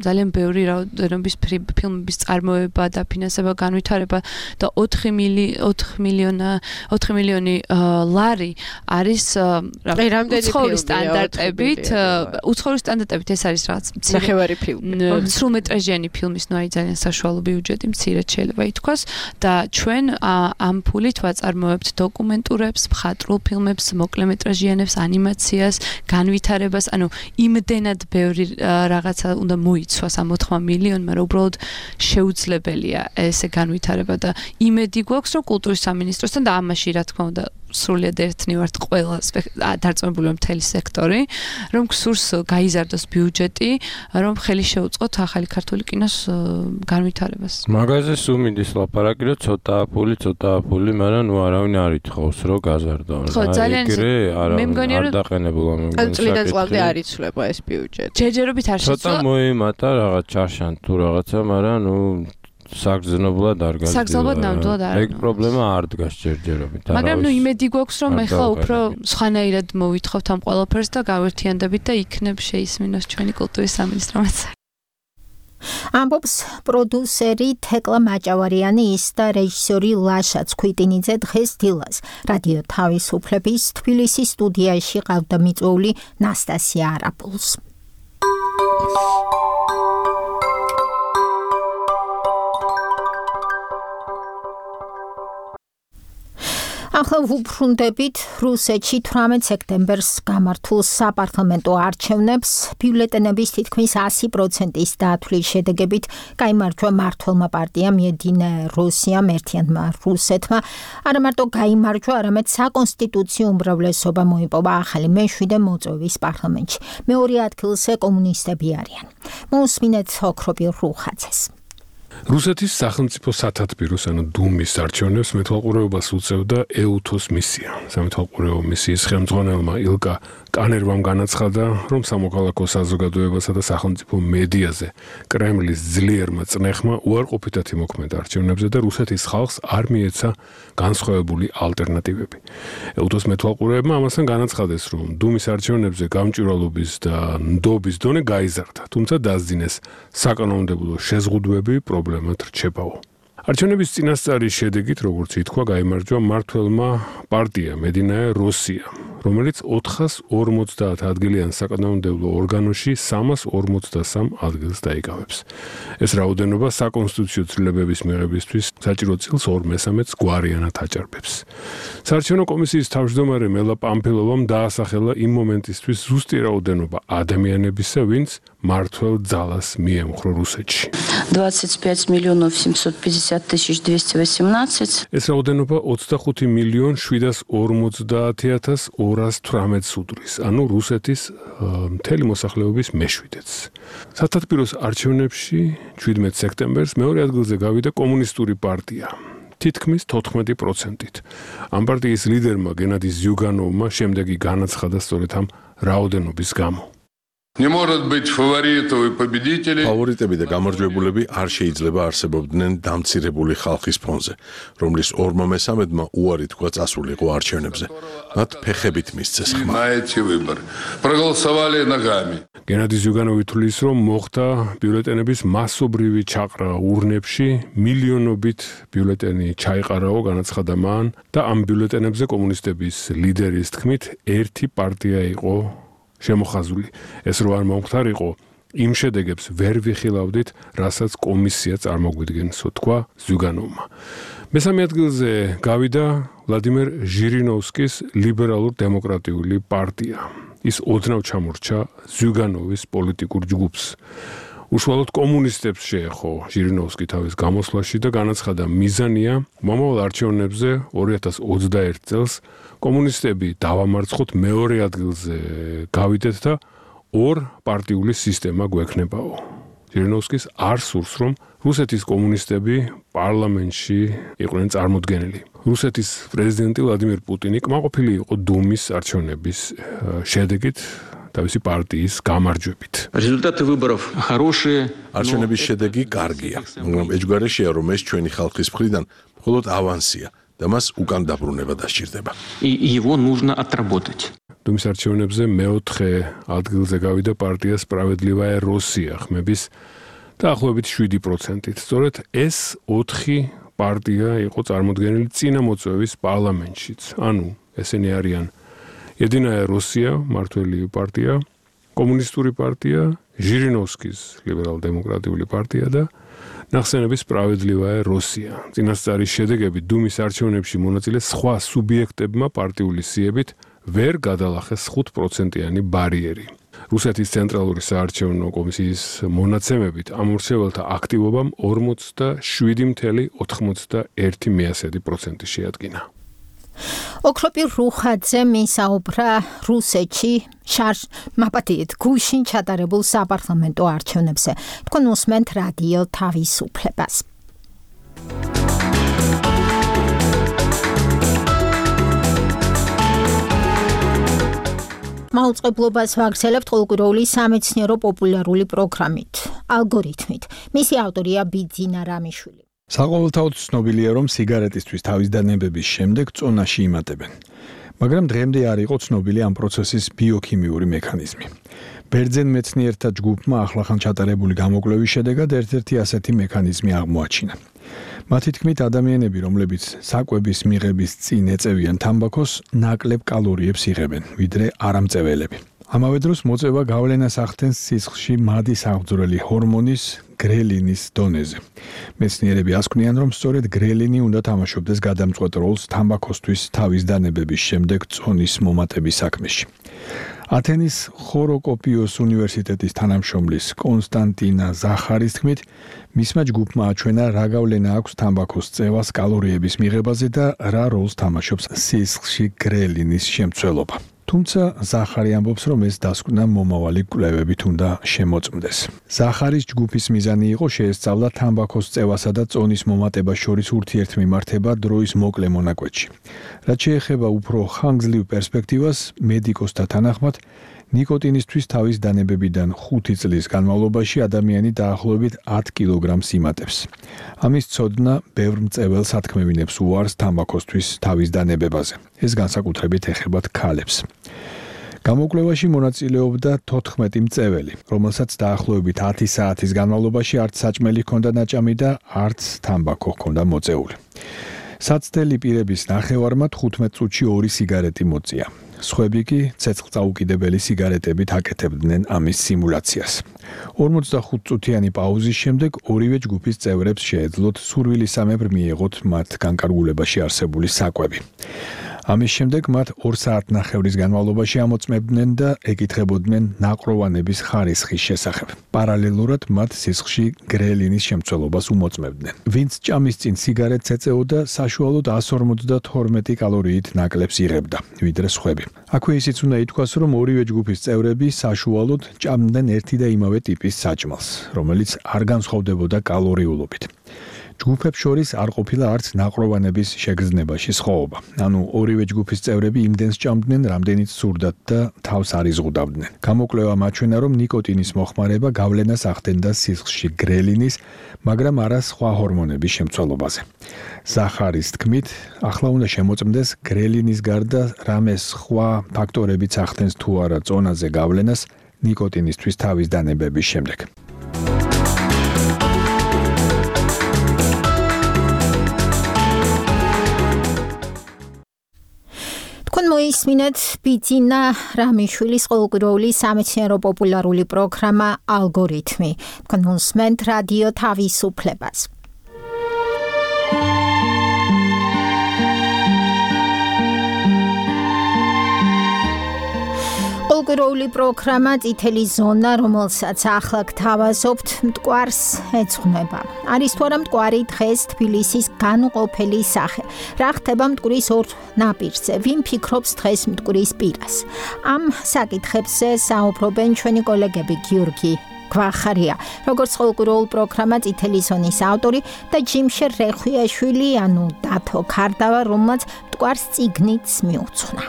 ძალიან ბევრი რაოდენობის ფილმების წარმოება და ფინანსება განვითარება და 4 მილიონი ლარი არის უცხოური სტანდარტებით ეს არის რაღაც ნახევარი ფილმი სრულმეტრაჟიანი ფილმის ნუ აი ძალიან საშუალო ბიუჯეტი მცირედ შეიძლება ითქვას და ჩვენ ამ ფულით ვაწარმოებთ დოკუმენტურებს, მხატვრულ ფილმებს, მოკლემეტრაჟიანებს, ანიმაციას, განვითარებას, ანუ იმდენად ბევრი რაღაცა უნდა მოიცვას ამ 4 მილიონმა, რომ უბრალოდ შეუძლებელია ესე განვითარება და იმედი გვაქვს, რომ კულტურის სამინისტროსთან და ამაში რა თქმა უნდა სრულიად ერთნი ვართ ყველა დარწმუნებული მთელი სექტორი, რომ გსურს გაიზარდოს ბიუჯეტი, რომ ხელი შეუწყოთ ახალი ქართული კინოს განვითარებას. მაგაზე სულ მინდის ლაპარაკი, რომ ცოტაა ფული, მაგრამ ნუ არავინ არ ითხოვს, რომ გაზარდონ. ხო, ძალიან მე მგონია რომ დაყენებულა მე მგონია. წლიდან წლამდე არ იცვლება ეს ბიუჯეტი. ჯერჯერობით არ შეცვლა. ცოტა მოიმატა რაღაც ჩარშან თუ რაღაცა, მაგრამ ნუ საგრძნობლად არ გაძლიერდა. საგრძნობლად ნამდვილად არ. ეგ პრობლემა არ დგას ჯერჯერობით. მაგრამ ნუ იმედი გვაქვს, რომ ეხლა უფრო სხვანაირად მოვითხოვთ ამ ყველაფერს და გავერთიანდებით და იქნებ შეისმინოს ჩვენი კულტურის სამინისტრომაც. ამბობს პროდიუსერი თეკლა მაჭავარიანი ის და რეჟისორი ლაშა ცქვიტინიძე დღეს დილას. რადიო თავისუფლების თბილისის სტუდიაში ყავდა მიწვეული ნასტასია არაპულს. ახლა ვუბრუნდებით რუსეთში 18 სექტემბერს გამართულ საპარლამენტო არჩევნებს ბიულეტენების თითქმის 100%-ის დათვლის შედეგებით გაიმარჯვა მმართველმა პარტიამ Единая Россия ერთიანმა რუსეთმა არა მარტო გაიმარჯვა, არამედ საკონსტიტუციო უმრავლესობა მოიპოვა ახალი მეშვიდე მოწვევის პარლამენტში. მეორე ადგილზე კომუნისტები არიან. მოусმინეთ ოქროპილ რუხაძეს. რუსეთის სახელმწიფო სათათბიროს ანუ დუმის არჩევნებს მეთვალყურეობას უწევდა ეუთოს მისია. სამეთვალყურეო მისიის ხელმძღვანელმა ილკა კანერვამ განაცხადა, რომ სამოქალაქო საზოგადოებასა და სახელმწიფო მედიაზე კრემლის ძლიერმა წნეხმა უარყოფითად იმოქმედა არჩევნებზე და რუსეთის ხალხს არ მიეცა განსხვავებული ალტერნატივები. ეუთოს მეთვალყურეებმა ამასთან განაცხადეს, რომ დუმის არჩევნებზე გამჭვირვალობის და ნდობის დონე გაიზარდა, თუმცა დასძინეს საკანონმდებლო შეზღუდვები პრობლემად რჩებაო. არჩევნების წინასწარის შედეგით, როგორც ითქვა, გაიმარჯვა მმართველმა პარტიამ Единая Россия, რომელიც 450 ადგილიან საკანონმდებლო ორგანოში 353 ადგილს დაიკავებს. ეს რაოდენობა საკონსტიტუციო ცვლილებების მიღებისთვის საჭირო წილს 2/3-ს გვარიანად აჭარბებს. საარჩევნო კომისიის თავმჯდომარე მელა პამფილოვამ დაასახელა იმ მომენტისთვის ზუსტი რაოდენობა ადამიანებისა, ვინც მმართველ ძალას მიემხრო რუსეთში. 25,750,218. ეს რაოდენობა 25,750,218 უდრის, ანუ რუსეთის მთელი მოსახლეობის მეშვიდეც. სათათბიროს არჩევნებში 17 სექტემბერს მეორე ადგილზე გავიდა კომუნისტური პარტია. თითქმის 14%-ით. ამ პარტიის ლიდერმა გენადი ზიუგანოვმა შემდეგი განაცხადა სწორედ ამ რაოდენობის გამო. Не может быть фаворитов и победителей. ფავორიტები და გამარჯვებულები არ შეიძლება არსებობდნენ დამცირებული ხალხის ფონზე, რომლის 2/3-მა უარი თქვა წასულიყო არჩევნებზე. მათ ფეხებით მისცეს ხმა. Знаете выбор. Проголосовали ногами. გენადი ზიუგანოვი თვლის, რომ მოხდა ბიულეტენების მასობრივი ჩაყრა ურნებში, მილიონობით ბიულეტენი ჩაიყარაო, განაცხადა მან და ამ ბიულეტენებზე კომუნისტების ლიდერის თქმით, ერთი პარტია იყო შემოხაზული. ეს რო არ მომხდარიყო, იმ შედეგებს ვერ ვიხილავდით, რასაც კომისია წარმოგვიდგენსო, თქვა ზიუგანოვმა. მესამე ადგილზე გავიდა ვლადიმერ ჟირინოვსკის ლიბერალურ-დემოკრატიული პარტია. ის ოდნავ ჩამორჩა ზიუგანოვის პოლიტიკურ ჯგუფს. უშუალოდ კომუნისტებს შეეხო ჟირინოვსკი თავის გამოსვლაში და განაცხადა, მიზანია მომავალ არჩევნებზე 2021 წელს კომუნისტები დავამარცხოთ, მეორე ადგილზე გავიდეთ და ორ პარტიული სისტემა გვექნებაო. ჟირინოვსკის არ სურს, რომ რუსეთის კომუნისტები პარლამენტში იყვნენ წარმოდგენილი. რუსეთის პრეზიდენტი ვლადიმერ პუტინი კმაყოფილი იყო დუმის არჩევნების შედეგით, თავისი პარტიის გამარჯვებით. Результаты выборов хорошие. არჩევნების შედეგი კარგია, მაგრამ ეჯგარეშია, რომ ეს ჩვენი ხალხის მხრიდან მხოლოდ ავანსია და მას უკან დაბრუნება დასჭირდება. И его нужно отработать. დუმის არჩევნებზე მეოთხე ადგილზე გავიდა პარტია Справедливая Россия ხმების დაახლოებით 7%-ით. სწორედ ეს 4 პარტია იყო წარმოდგენილი წინა მოწვევის პარლამენტშიც. ანუ ესენი არიან Единая Россия, მმართველი პარტია, კომუნისტური პარტია, ჟირინოვსკის ლიბერალ-დემოკრატიული პარტია და ნახსენების Справедливая Россия. წინასწარის შედეგები დუმის არჩევნებში მონაწილე სხვა სუბიექტებმა პარტიული სიებით ვერ გადალახეს 5%-იანი ბარიერი. რუსეთის ცენტრალური საარჩევნო კომისიის მონაცემებით ამ მრჩეველთა აქტივობამ 47,91% შეადგინა. ოქროპილ რუხაძე მისაუბრა რუსეთში მაპატიეთ გუშინ ჩატარებულ საპარლამენტო არჩევნებზე. თქვენ უსმენთ რადიო თავისუფლებას. მაუწყებლობას ვაგრძელებთ ყოველკვირეული სამეცნიერო პოპულარული პროგრამით, ალგორითმით. მისი ავტორია ბიძინა რამიშვილი. საყოველთაოდ ცნობილია, რომ სიგარეტისთვის თავის დანებების შემდეგ წონაში იმატებენ. მაგრამ დღემდე არ იყო ცნობილი ამ პროცესის ბიოქიმიური მექანიზმი. ბერძენ მეცნიერთა ჯგუფმა ახლახან ჩატარებული გამოკვლევის შედეგად ერთ-ერთი ასეთი მექანიზმი აღმოაჩინა. მათი თქმით, ადამიანები, რომლებიც საკვების მიღების წინ ეწევიან თამბაქოს, ნაკლებ კალორიებს იღებენ, ვიდრე არამწეველები. ამავე დროს მოწევა გავლენას ახდენს სისხლში მადი სამღვდელელი ჰორმონის გრელინის დონეზე. მეცნიერები ასკვნიან, რომ სწორედ გრელინი უნდა თამაშობდეს გადამწყვეტ როლს თამბაქოსთვის თავის დანებების შემდეგ წონის მომატების საქმეში. ათენის ხოროკოპიოს უნივერსიტეტის თანამშრომლის კონსტანტინა ზახარის თქმით, მისმა ჯგუფმა აჩვენა რა გავლენა აქვს თამბაქოს წევას კალორიების მიღებაზე და რა როლს თამაშობს სისხლში გრელინის შემცველობა. თუმცა ზახარი ამბობს, რომ ეს დასკვნა მომავალი კვლევებით უნდა შემოწმდეს. ზახარის ჯგუფის მიზანი იყო შეესწავლა თამბაქოს წევასა და წონის მომატებას შორის ურთიერთმიმართება დროის მოკლე მონაკვეთში. რაც შეეხება უფრო ხანგრძლივ პერსპექტივას, მედიკოსთა თანახმად, ნიკოტინისთვის თავის დანებებიდან 5 წლის განმავლობაში ადამიანი დაახლოებით 10 კილოგრამს იმატებს. ამის ცოდნა ბევრ მწეველ სათქმევინებს უარს თამბაქოსთვის თავის დანებებაზე. ეს განსაკუთრებით ეხებათ ქალებს. გამოკვლევაში მონაწილეობდა 14 მწეველი, რომელსაც დაახლოებით 10 საათის განმავლობაში არც საჭმელი ჰქონდა ნაჭამი და არც თამბაქო ჰქონდა მოწეული. საცდელი პირების ნახევარმა 15 წუთში 2 სიგარეტი მოწია. სხვები კი ცეცხლწაუკიდებელი სიგარეტებით აკეთებდნენ ამის სიმულაციას. 45 წუთიანი პაუზის შემდეგ ორივე ჯგუფის წევრებს შეეძლოთ სურვილისამებრ მიეღოთ მათ განკარგულებაში არსებული საკვები. ამის შემდეგ მათ 2 საათნახევრის განმავლობაში ამოწმებდნენ და ეკითხებოდნენ ნაყროვანების ხარისხის შესახებ. პარალელურად მათ სისხლში გრელინის შემცველობას უმოწმებდნენ. ვინც ჭამის წინ სიგარეტს ეწეოდა, საშუალოდ 152 კალორიით ნაკლებს იღებდა, ვიდრე სხვები. აქვე ისიც უნდა ითქვას, რომ ორივე ჯგუფის წევრები საშუალოდ ჭამდნენ ერთი და იმავე ტიპის საჭმელს, რომელიც არ განსხვავდებოდა კალორიულობით. ჯგუფებს შორის არ ყოფილა არც ნაყროვანების შეგრძნებაში სხვაობა. ანუ ორივე ჯგუფის წევრები იმდენს ჭამდნენ, რამდენიც სურდათ და თავს არ იზღუდავდნენ. გამოკვლევამ აჩვენა, რომ ნიკოტინის მოხმარება გავლენას ახდენდა სისხლში გრელინის, მაგრამ არა სხვა ჰორმონების შემცველობაზე. ზახარის თქმით, ახლა უნდა შემოწმდეს გრელინის გარდა რამე სხვა ფაქტორებიც ახდენს თუ არა წონაზე გავლენას ნიკოტინისთვის თავის დანებების შემდეგ. მოისმინეთ ბიძინა რამიშვილის ყოველკვირეული სამეცნიერო პოპულარული პროგრამა ალგორითმი. თქვენ უსმენთ რადიო თავისუფლებას. ყოველკვირეული პროგრამა წითელი ზონა, რომელსაც ახლა გთავაზობთ, მტკვარს ეძღვნება. არის თუ არა მტკვარი დღეს თბილისის განუყოფელი სახე. რა ხდება მტკვრის ორ ნაპირზე? ვინ ფიქრობს დღეს მტკვრის პირას? ამ საკითხებზე საუბრობენ ჩვენი კოლეგები გიორგი გვახარია, როგორც ყოველკვირეულ პროგრამა წითელი ზონის ავტორი და ჯიმშერ რეხვიაშვილი, ანუ დათო ქარდავა, რომელმაც მტკვარს წიგნიც მიუძღვნა.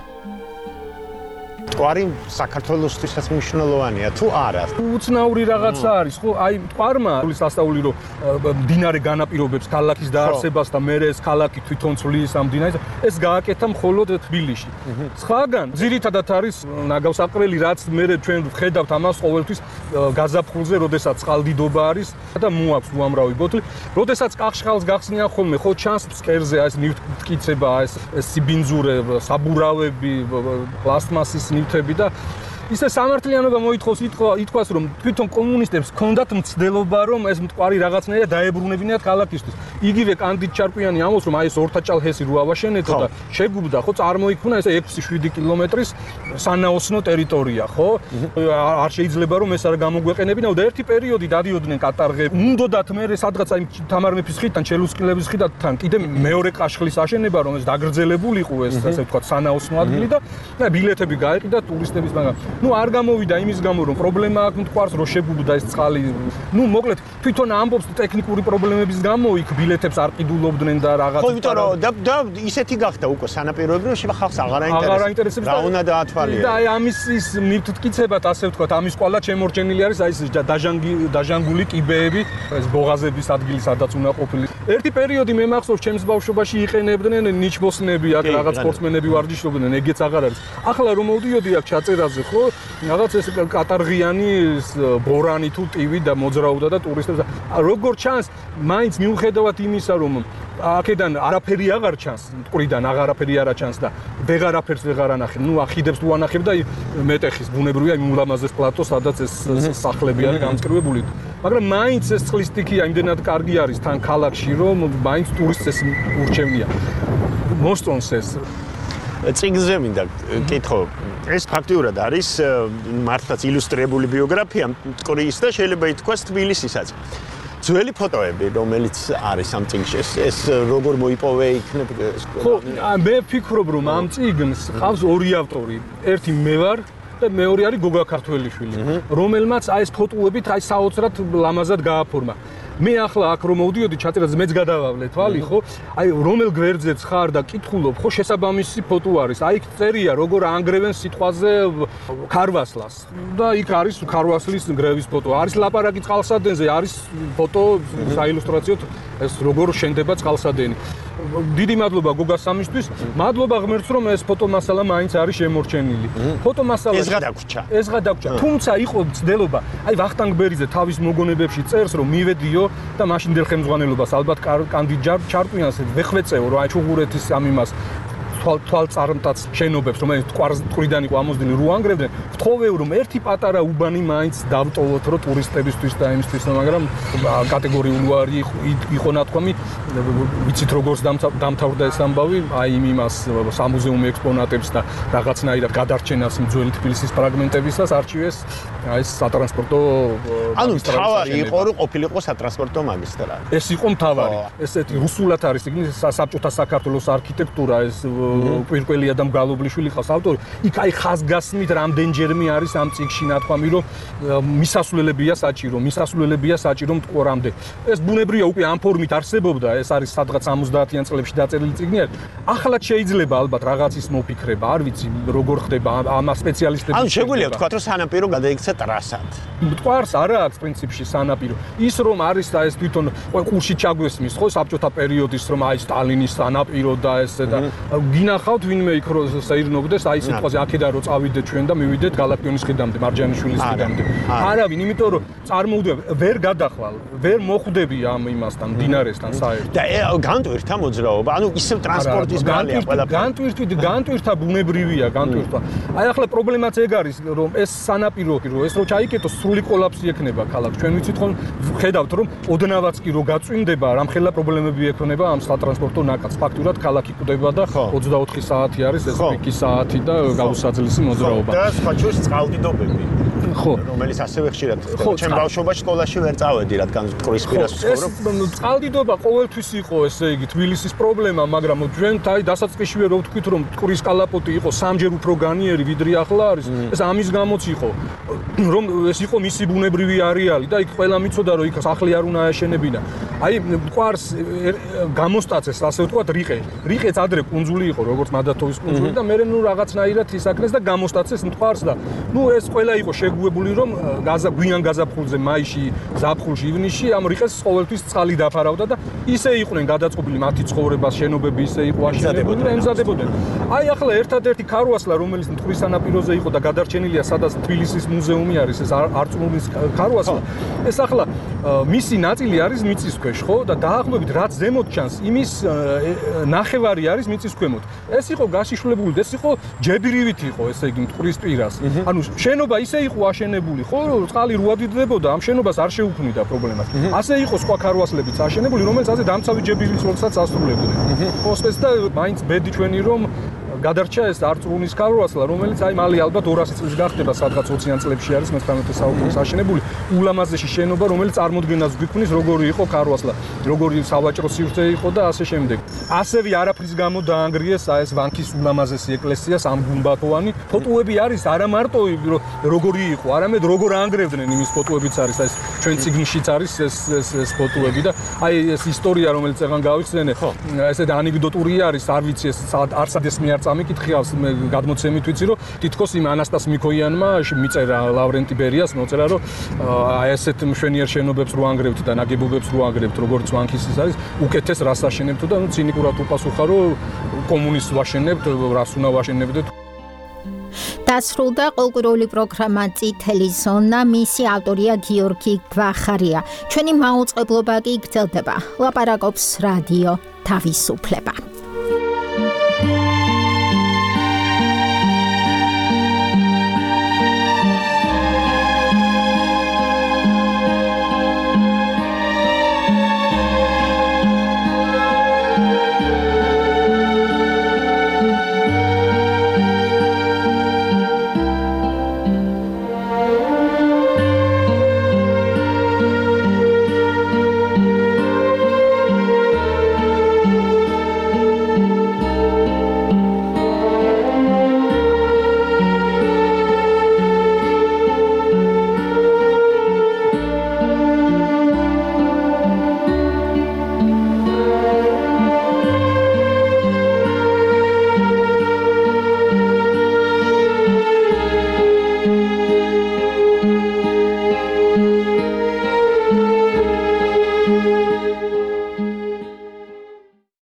მტკვარი საქართველოსთვისაც მნიშვნელოვანია თუ არა? უცნაური რაღაცა არის, ხო? აი მტკვარმა სასწაული რომ მდინარე განაპირობებს ქალაქის დაარსებას და მერე ეს ქალაქი თვითონ ცვლის ამ მდინარეს, ეს გააკეთა მხოლოდ თბილისში. სხვაგან ძირითადად არის ნაგავსაყრელი, რაც მერე ჩვენ ვხედავთ ამას ყოველთვის გაზაფხულზე, როდესაც წყალდიდობა არის და მოაქვს უამრავი ბოთლი. როდესაც კახშხალს გახსნიან ხოლმე, ხო ჩანს ფსკერზე ეს ნივთმტკიცება, ეს სიბინძურე, საბურავები, პლასტმასის ნივთები და ისე სამართლიანობა მოითხოვს ითქვას, რომ თვითონ კომუნისტებს ჰქონდათ მცდელობა, რომ ეს მტკვარი რაღაცნაირად დაებრუნებინათ ქალაქისთვის. იგივე კანდიდ ჩარკვიანი ამბობს, რომ აი ეს ორთაჭალჰესი რო ავაშენეთო და შეგუბდა, ხო, წარმოიქმნა ესე 6-7 კილომეტრის სანაოსნო ტერიტორია, ხო? არ შეიძლება რომ ეს არ გამოგვეყენებინაო და ერთი პერიოდი დადიოდნენ კატარღები. უნდათ მერე სადღაც აი თამარ მეფის ხიდთან, ჩელუსკილების ხიდთან კიდე მეორე კაშხლის აშენება, რომ ეს დაგრძელებულიყო ეს ასე ვთქვათ სანაოსნო ადგილი და ბილეთები გაეყიდა ტურისტების, მაგრამ ნუ არ გამოვიდა იმის გამო, რომ პრობლემა აქვს მტკვარს, რომ შეგუბდა ეს წყალი. ნუ მოკლედ თვითონ ამბობს ტექნიკური პრობლემების გამო იქ ბილეთებს არ ყიდულობდნენ და რაღაც. ხო, იმიტომ რომ და ისეთი გახდა უკვე სანაპიროები, რომ შეიძლება ხალხს აღარ აინტერესებს. რა უნდა დაათვალიეროს. და აი ამის ის ნივთმტკიცებად, ასე ვთქვათ, ამის ყველა შემორჩენილი არის აი ეს დაჟანგული კიბეები, ეს ბოღაზების ადგილი, სადაც უნდა ყოფილიყო. ერთი პერიოდი მე მახსოვს ჩემს ბავშვობაში იყენებდნენ ნიჩბოსნები, აქ რაღაც სპორტსმენები ვარჯიშობდნენ, ეგეც აღარ არის. ახლა რომ მოვდიოდი აქ ჩაწერაზე, ხო? რაღაც ეს კატარღიანი ბორანი თუ ტივი და მოძრაობდა და ტურისტებს როგორ ჩანს, მაინც მიუხედავად იმისა, რომ აქედან არაფერი აღარ ჩანს, მტკვრიდან აღარაფერი არა ჩანს და ვეღარაფერს ვეღარ ანახე. ნუ ახიდებს თუ ანახებ და მეტეხის ბუნებრივია იმ ულამაზეს პლატო, სადაც ეს სახლები არის გამწკრივებული. მაგრამ მაინც ეს წყლის სტიქია იმდენად კარგი არის თან ქალაქში, რომ მაინც ტურისტს ეს ურჩევნია. მოსწონს ეს. წიგნზე მინდა კითხო. ეს ფაქტიურად არის მართლაც ილუსტრირებული ბიოგრაფია მტკვრის და შეიძლება ითქვას თბილისისაც. ძველი ფოტოები, რომელიც არის ამ წიგნში, ეს როგორ მოიპოვე იქნებ? ხო, მე ვფიქრობ, რომ ამ წიგნს ყავს ორი ავტორი. ერთი მე ვარ და მეორე არის გოგა ქართველიშვილი, რომელმაც აი ეს ფოტოებით აი საოცრად ლამაზად გააფორმა. მე ახლა აქ რომ მოვდიოდი ჩაწერაზე მეც გადავავლე თვალი, ხო? აი რომელ გვერდზეც ხარ და კითხულობ, ხო შესაბამისი ფოტო არის. აი იქ წერია როგორ ანგრევენ სიტყვაზე ქარვასლას. და იქ არის ქარვასლის ნგრევის ფოტო. არის ლაპარაკი წყალსადენზე, არის ფოტო საილუსტრაციოდ ეს როგორ შენდება წყალსადენი. დიდი მადლობა გოგას სამისთვის. მადლობა ღმერთს რომ ეს ფოტომასალა მაინც არის შემორჩენილი. ფოტომასალა ეს გადაგვრჩა. ეს გადაგვრჩა. თუმცა იყო ცდელობა. აი ვახტანგ ბერიძე თავის მოგონებებში წერს რომ მივედიო და მაშინდელ ხელმძღვანელობას ალბათ კანდიდატ ჩარკვიანს ვეხვეწეო რომ აი ჩუღურეთის ამ იმას თვალწარმტაც შენობებს რომელიც ტყვრიდან იყო ამოსდილი რო ანგრევდნენ ვთხოვეო რომ ერთი პატარა უბანი მაინც დავტოვოთ რომ ტურისტებისთვის და იმისთვის მაგრამ კატეგორიული ვარი იყო ნათქვამი ვიცით როგორც დამთავრდა ეს ამბავი აი იმას სამუზეუმო ექსპონატებს და რაღაცნაირად გადარჩენას ძველი თბილისის ფრაგმენტებისას არჩივეს აი ეს სატრანსპორტო ანუ თავარი იყო რომ ყოფილიყო სატრანსპორტო მაგისტრალი ეს იყო მთავარი ესეთი რუსულად არის იგი საბჭოთა საქართველოს არქიტექტურა ეს კვირკველი ადამ გალობლიშვილი ხავს ავტორი იქ აი ხაზგასმით რამდენჯერმე არის ამ წიგნში ნათქვამი რომ მისასვლელებია საჭირო მტყვრამდე ეს ბუნებრივია უკვე ამ ფორმით არსებობდა ეს არის სადღაც 70-იან წლებში დაწერილი წიგნი არის ახლაც შეიძლება ალბათ რაღაცის მოფიქრება არ ვიცი როგორ ხდება ამ სპეციალისტების ანუ შეგვიძლია ვთქვათ რომ სანაპირო გადაიქცა ტრასად მტყარს არა აქვს პრინციპში სანაპირო ის რომ არის და ეს თვითონ ყურში ჩაგვესმის ხო საბჭოთა პერიოდის რომ აი სტალინის სანაპირო და ესე და გინახავთ ვინმე იქ რო საირნობდეს აი სიტყვაზე აქედან რო წავიდეთ ჩვენ და მივიდეთ გალაქტიონის ხიდამდე მარჯანიშვილის ხიდამდე არავინ იმიტომ რომ წარმოვიდგინე ვერ გადახვალ ვერ მოხვდები ამ იმასთან დინარესთან საერთოდ და განტვირთა მოძრაობა ანუ ისევ ტრანსპორტის გალია ყველაფერი განტვირთა ბუნებრივია განტვირთვა აი ახლა პრობლემაც ეგ არის რომ ეს სანაპირო რო ეს რო ჩაიკეტოს სრული კოლაფსი ექნება ქალაქს ჩვენ ვიცით ხომ ხედავთ რომ ოდნავაც კი რო გაწვიმდება რამხელა პრობლემები ექნება ამ სატრანსპორტო ნაკადს ფაქტურად ქალაქი კვდება და 24 საათი არის ეს პიკის საათი და გაუსაძლისი მოძრაობა და სხვა ჩვენს წყალდიდობები ხო რომელიც ასევე ხშირად ხდება ჩემ ბავშვობაში სკოლაში ვერ წავედი რადგან მტკვრის პირას ვცხოვრობ ეს წყალდიდობა ყოველთვის იყო ესე იგი თბილისის პრობლემა მაგრამ ჩვენ აი დასაწყისშივე რო ვთქვით რომ მტკვრის კალაპოტი იყო სამჯერ უფრო განიერი ვიდრე ახლა არის ეს ამის გამოც იყო რომ ეს იყო მისი ბუნებრივი არეალი და იქ ყველა მიცოდა რომ იქ სახლი არ უნდა აეშენებინა აი მტკვარს გამოსტაცეს ასე ვთქვათ რიყეც ადრე კუნძული იყო როგორც მადათოვის კუნძული და მე ნუ რაღაცნაირად ისაკნეს და გამოსტაცეს მტკვარს და ნუ ეს ყველა იყო შეგუებული რომ გვიან გაზაფხულზე მაისში ზაფხულში ივნისში ამ რიყეს ყოველთვის წყალი დაფარავდა და ისე იყვნენ გადაწყობილი მათი ცხოვრებას შენობები ისე იყო აშენებული და ემზადებოდნენ აი ახლა ერთადერთი ქარვასლა რომელიც მტკვრის სანაპიროზე იყო და გადარჩენილია სადაც თბილისის მუზეუმი არის ეს არწმუნის ქარვასლა ეს ახლა მისი ნაწილი არის მიწისქვეშ ხო და დაახლოებით რაც ზემოთ ჩანს იმის ნახევარი არის მიწის ქვემოთ ეს იყო გაშიშვლებული ეს იყო ჯებირივით იყო ესე იგი მტკვრის პირას ანუ შენობა ისე იყო აშენებული ხო რომ წყალი რუადიდებოდა ამ შენობას არ შეუქმნიდა პრობლემას ასე იყო სხვა ქარვასლებიც აშენებული რომელიც ასე დამცავი ჯებირიც როდესაც ასრულებდნენ ხოსეს და მაინც ბედი ჩვენი რომ გადარჩა ეს არწმუნის ქარვასლა რომელიც აი მალე ალბათ 200 წლის გახდება სადღაც 20-იან წლებში არის მე-19 საუკუნის აშენებული ულამაზესი შენობა რომელიც წარმოდგენას გვიქმნის როგორი იყო ქარვასლა როგორი სავაჭრო სივრცე იყო და ასე შემდეგ ასევე არაფრის გამო დაანგრიეს აი ეს ვანქის ულამაზესი ეკლესია სამგუმბათოვანი ფოტოები არის არა მარტო როგორი იყო არამედ როგორ ანგრევდნენ იმის ფოტოებიც არის აი ეს ჩვენ წიგნშიც არის ეს ფოტოები და აი ეს ისტორია რომელიც ეგან გავიხსენე ესეთ ანეკდოტური არის არ ვიცი ეს არცადეს მიარ სამი კითხი აქვს მე გადმოცემით ვიცი რომ თითქოს იმ ანასტას მიქოიანმა მიწერა ლავრენტი ბერიას მოწერა რომ აი ესეთ მშვენიერ შენობებს რო ანგრევთ და ნაგებობებს რო ანგრევთ როგორც ვანქისის არის უკეთეს რას აშენებთ და ნუ ცინიკურად უპასუხა რომ კომუნისტს ვაშენებთ რას უნდა ვაშენებდეთ დასრულდა კულტურული პროგრამა წითელი ზონა მისი ავტორია გიორგი გვახარია ჩვენი მაუწყებლობა კი გრძელდება ლაპარაკობს რადიო თავისუფლება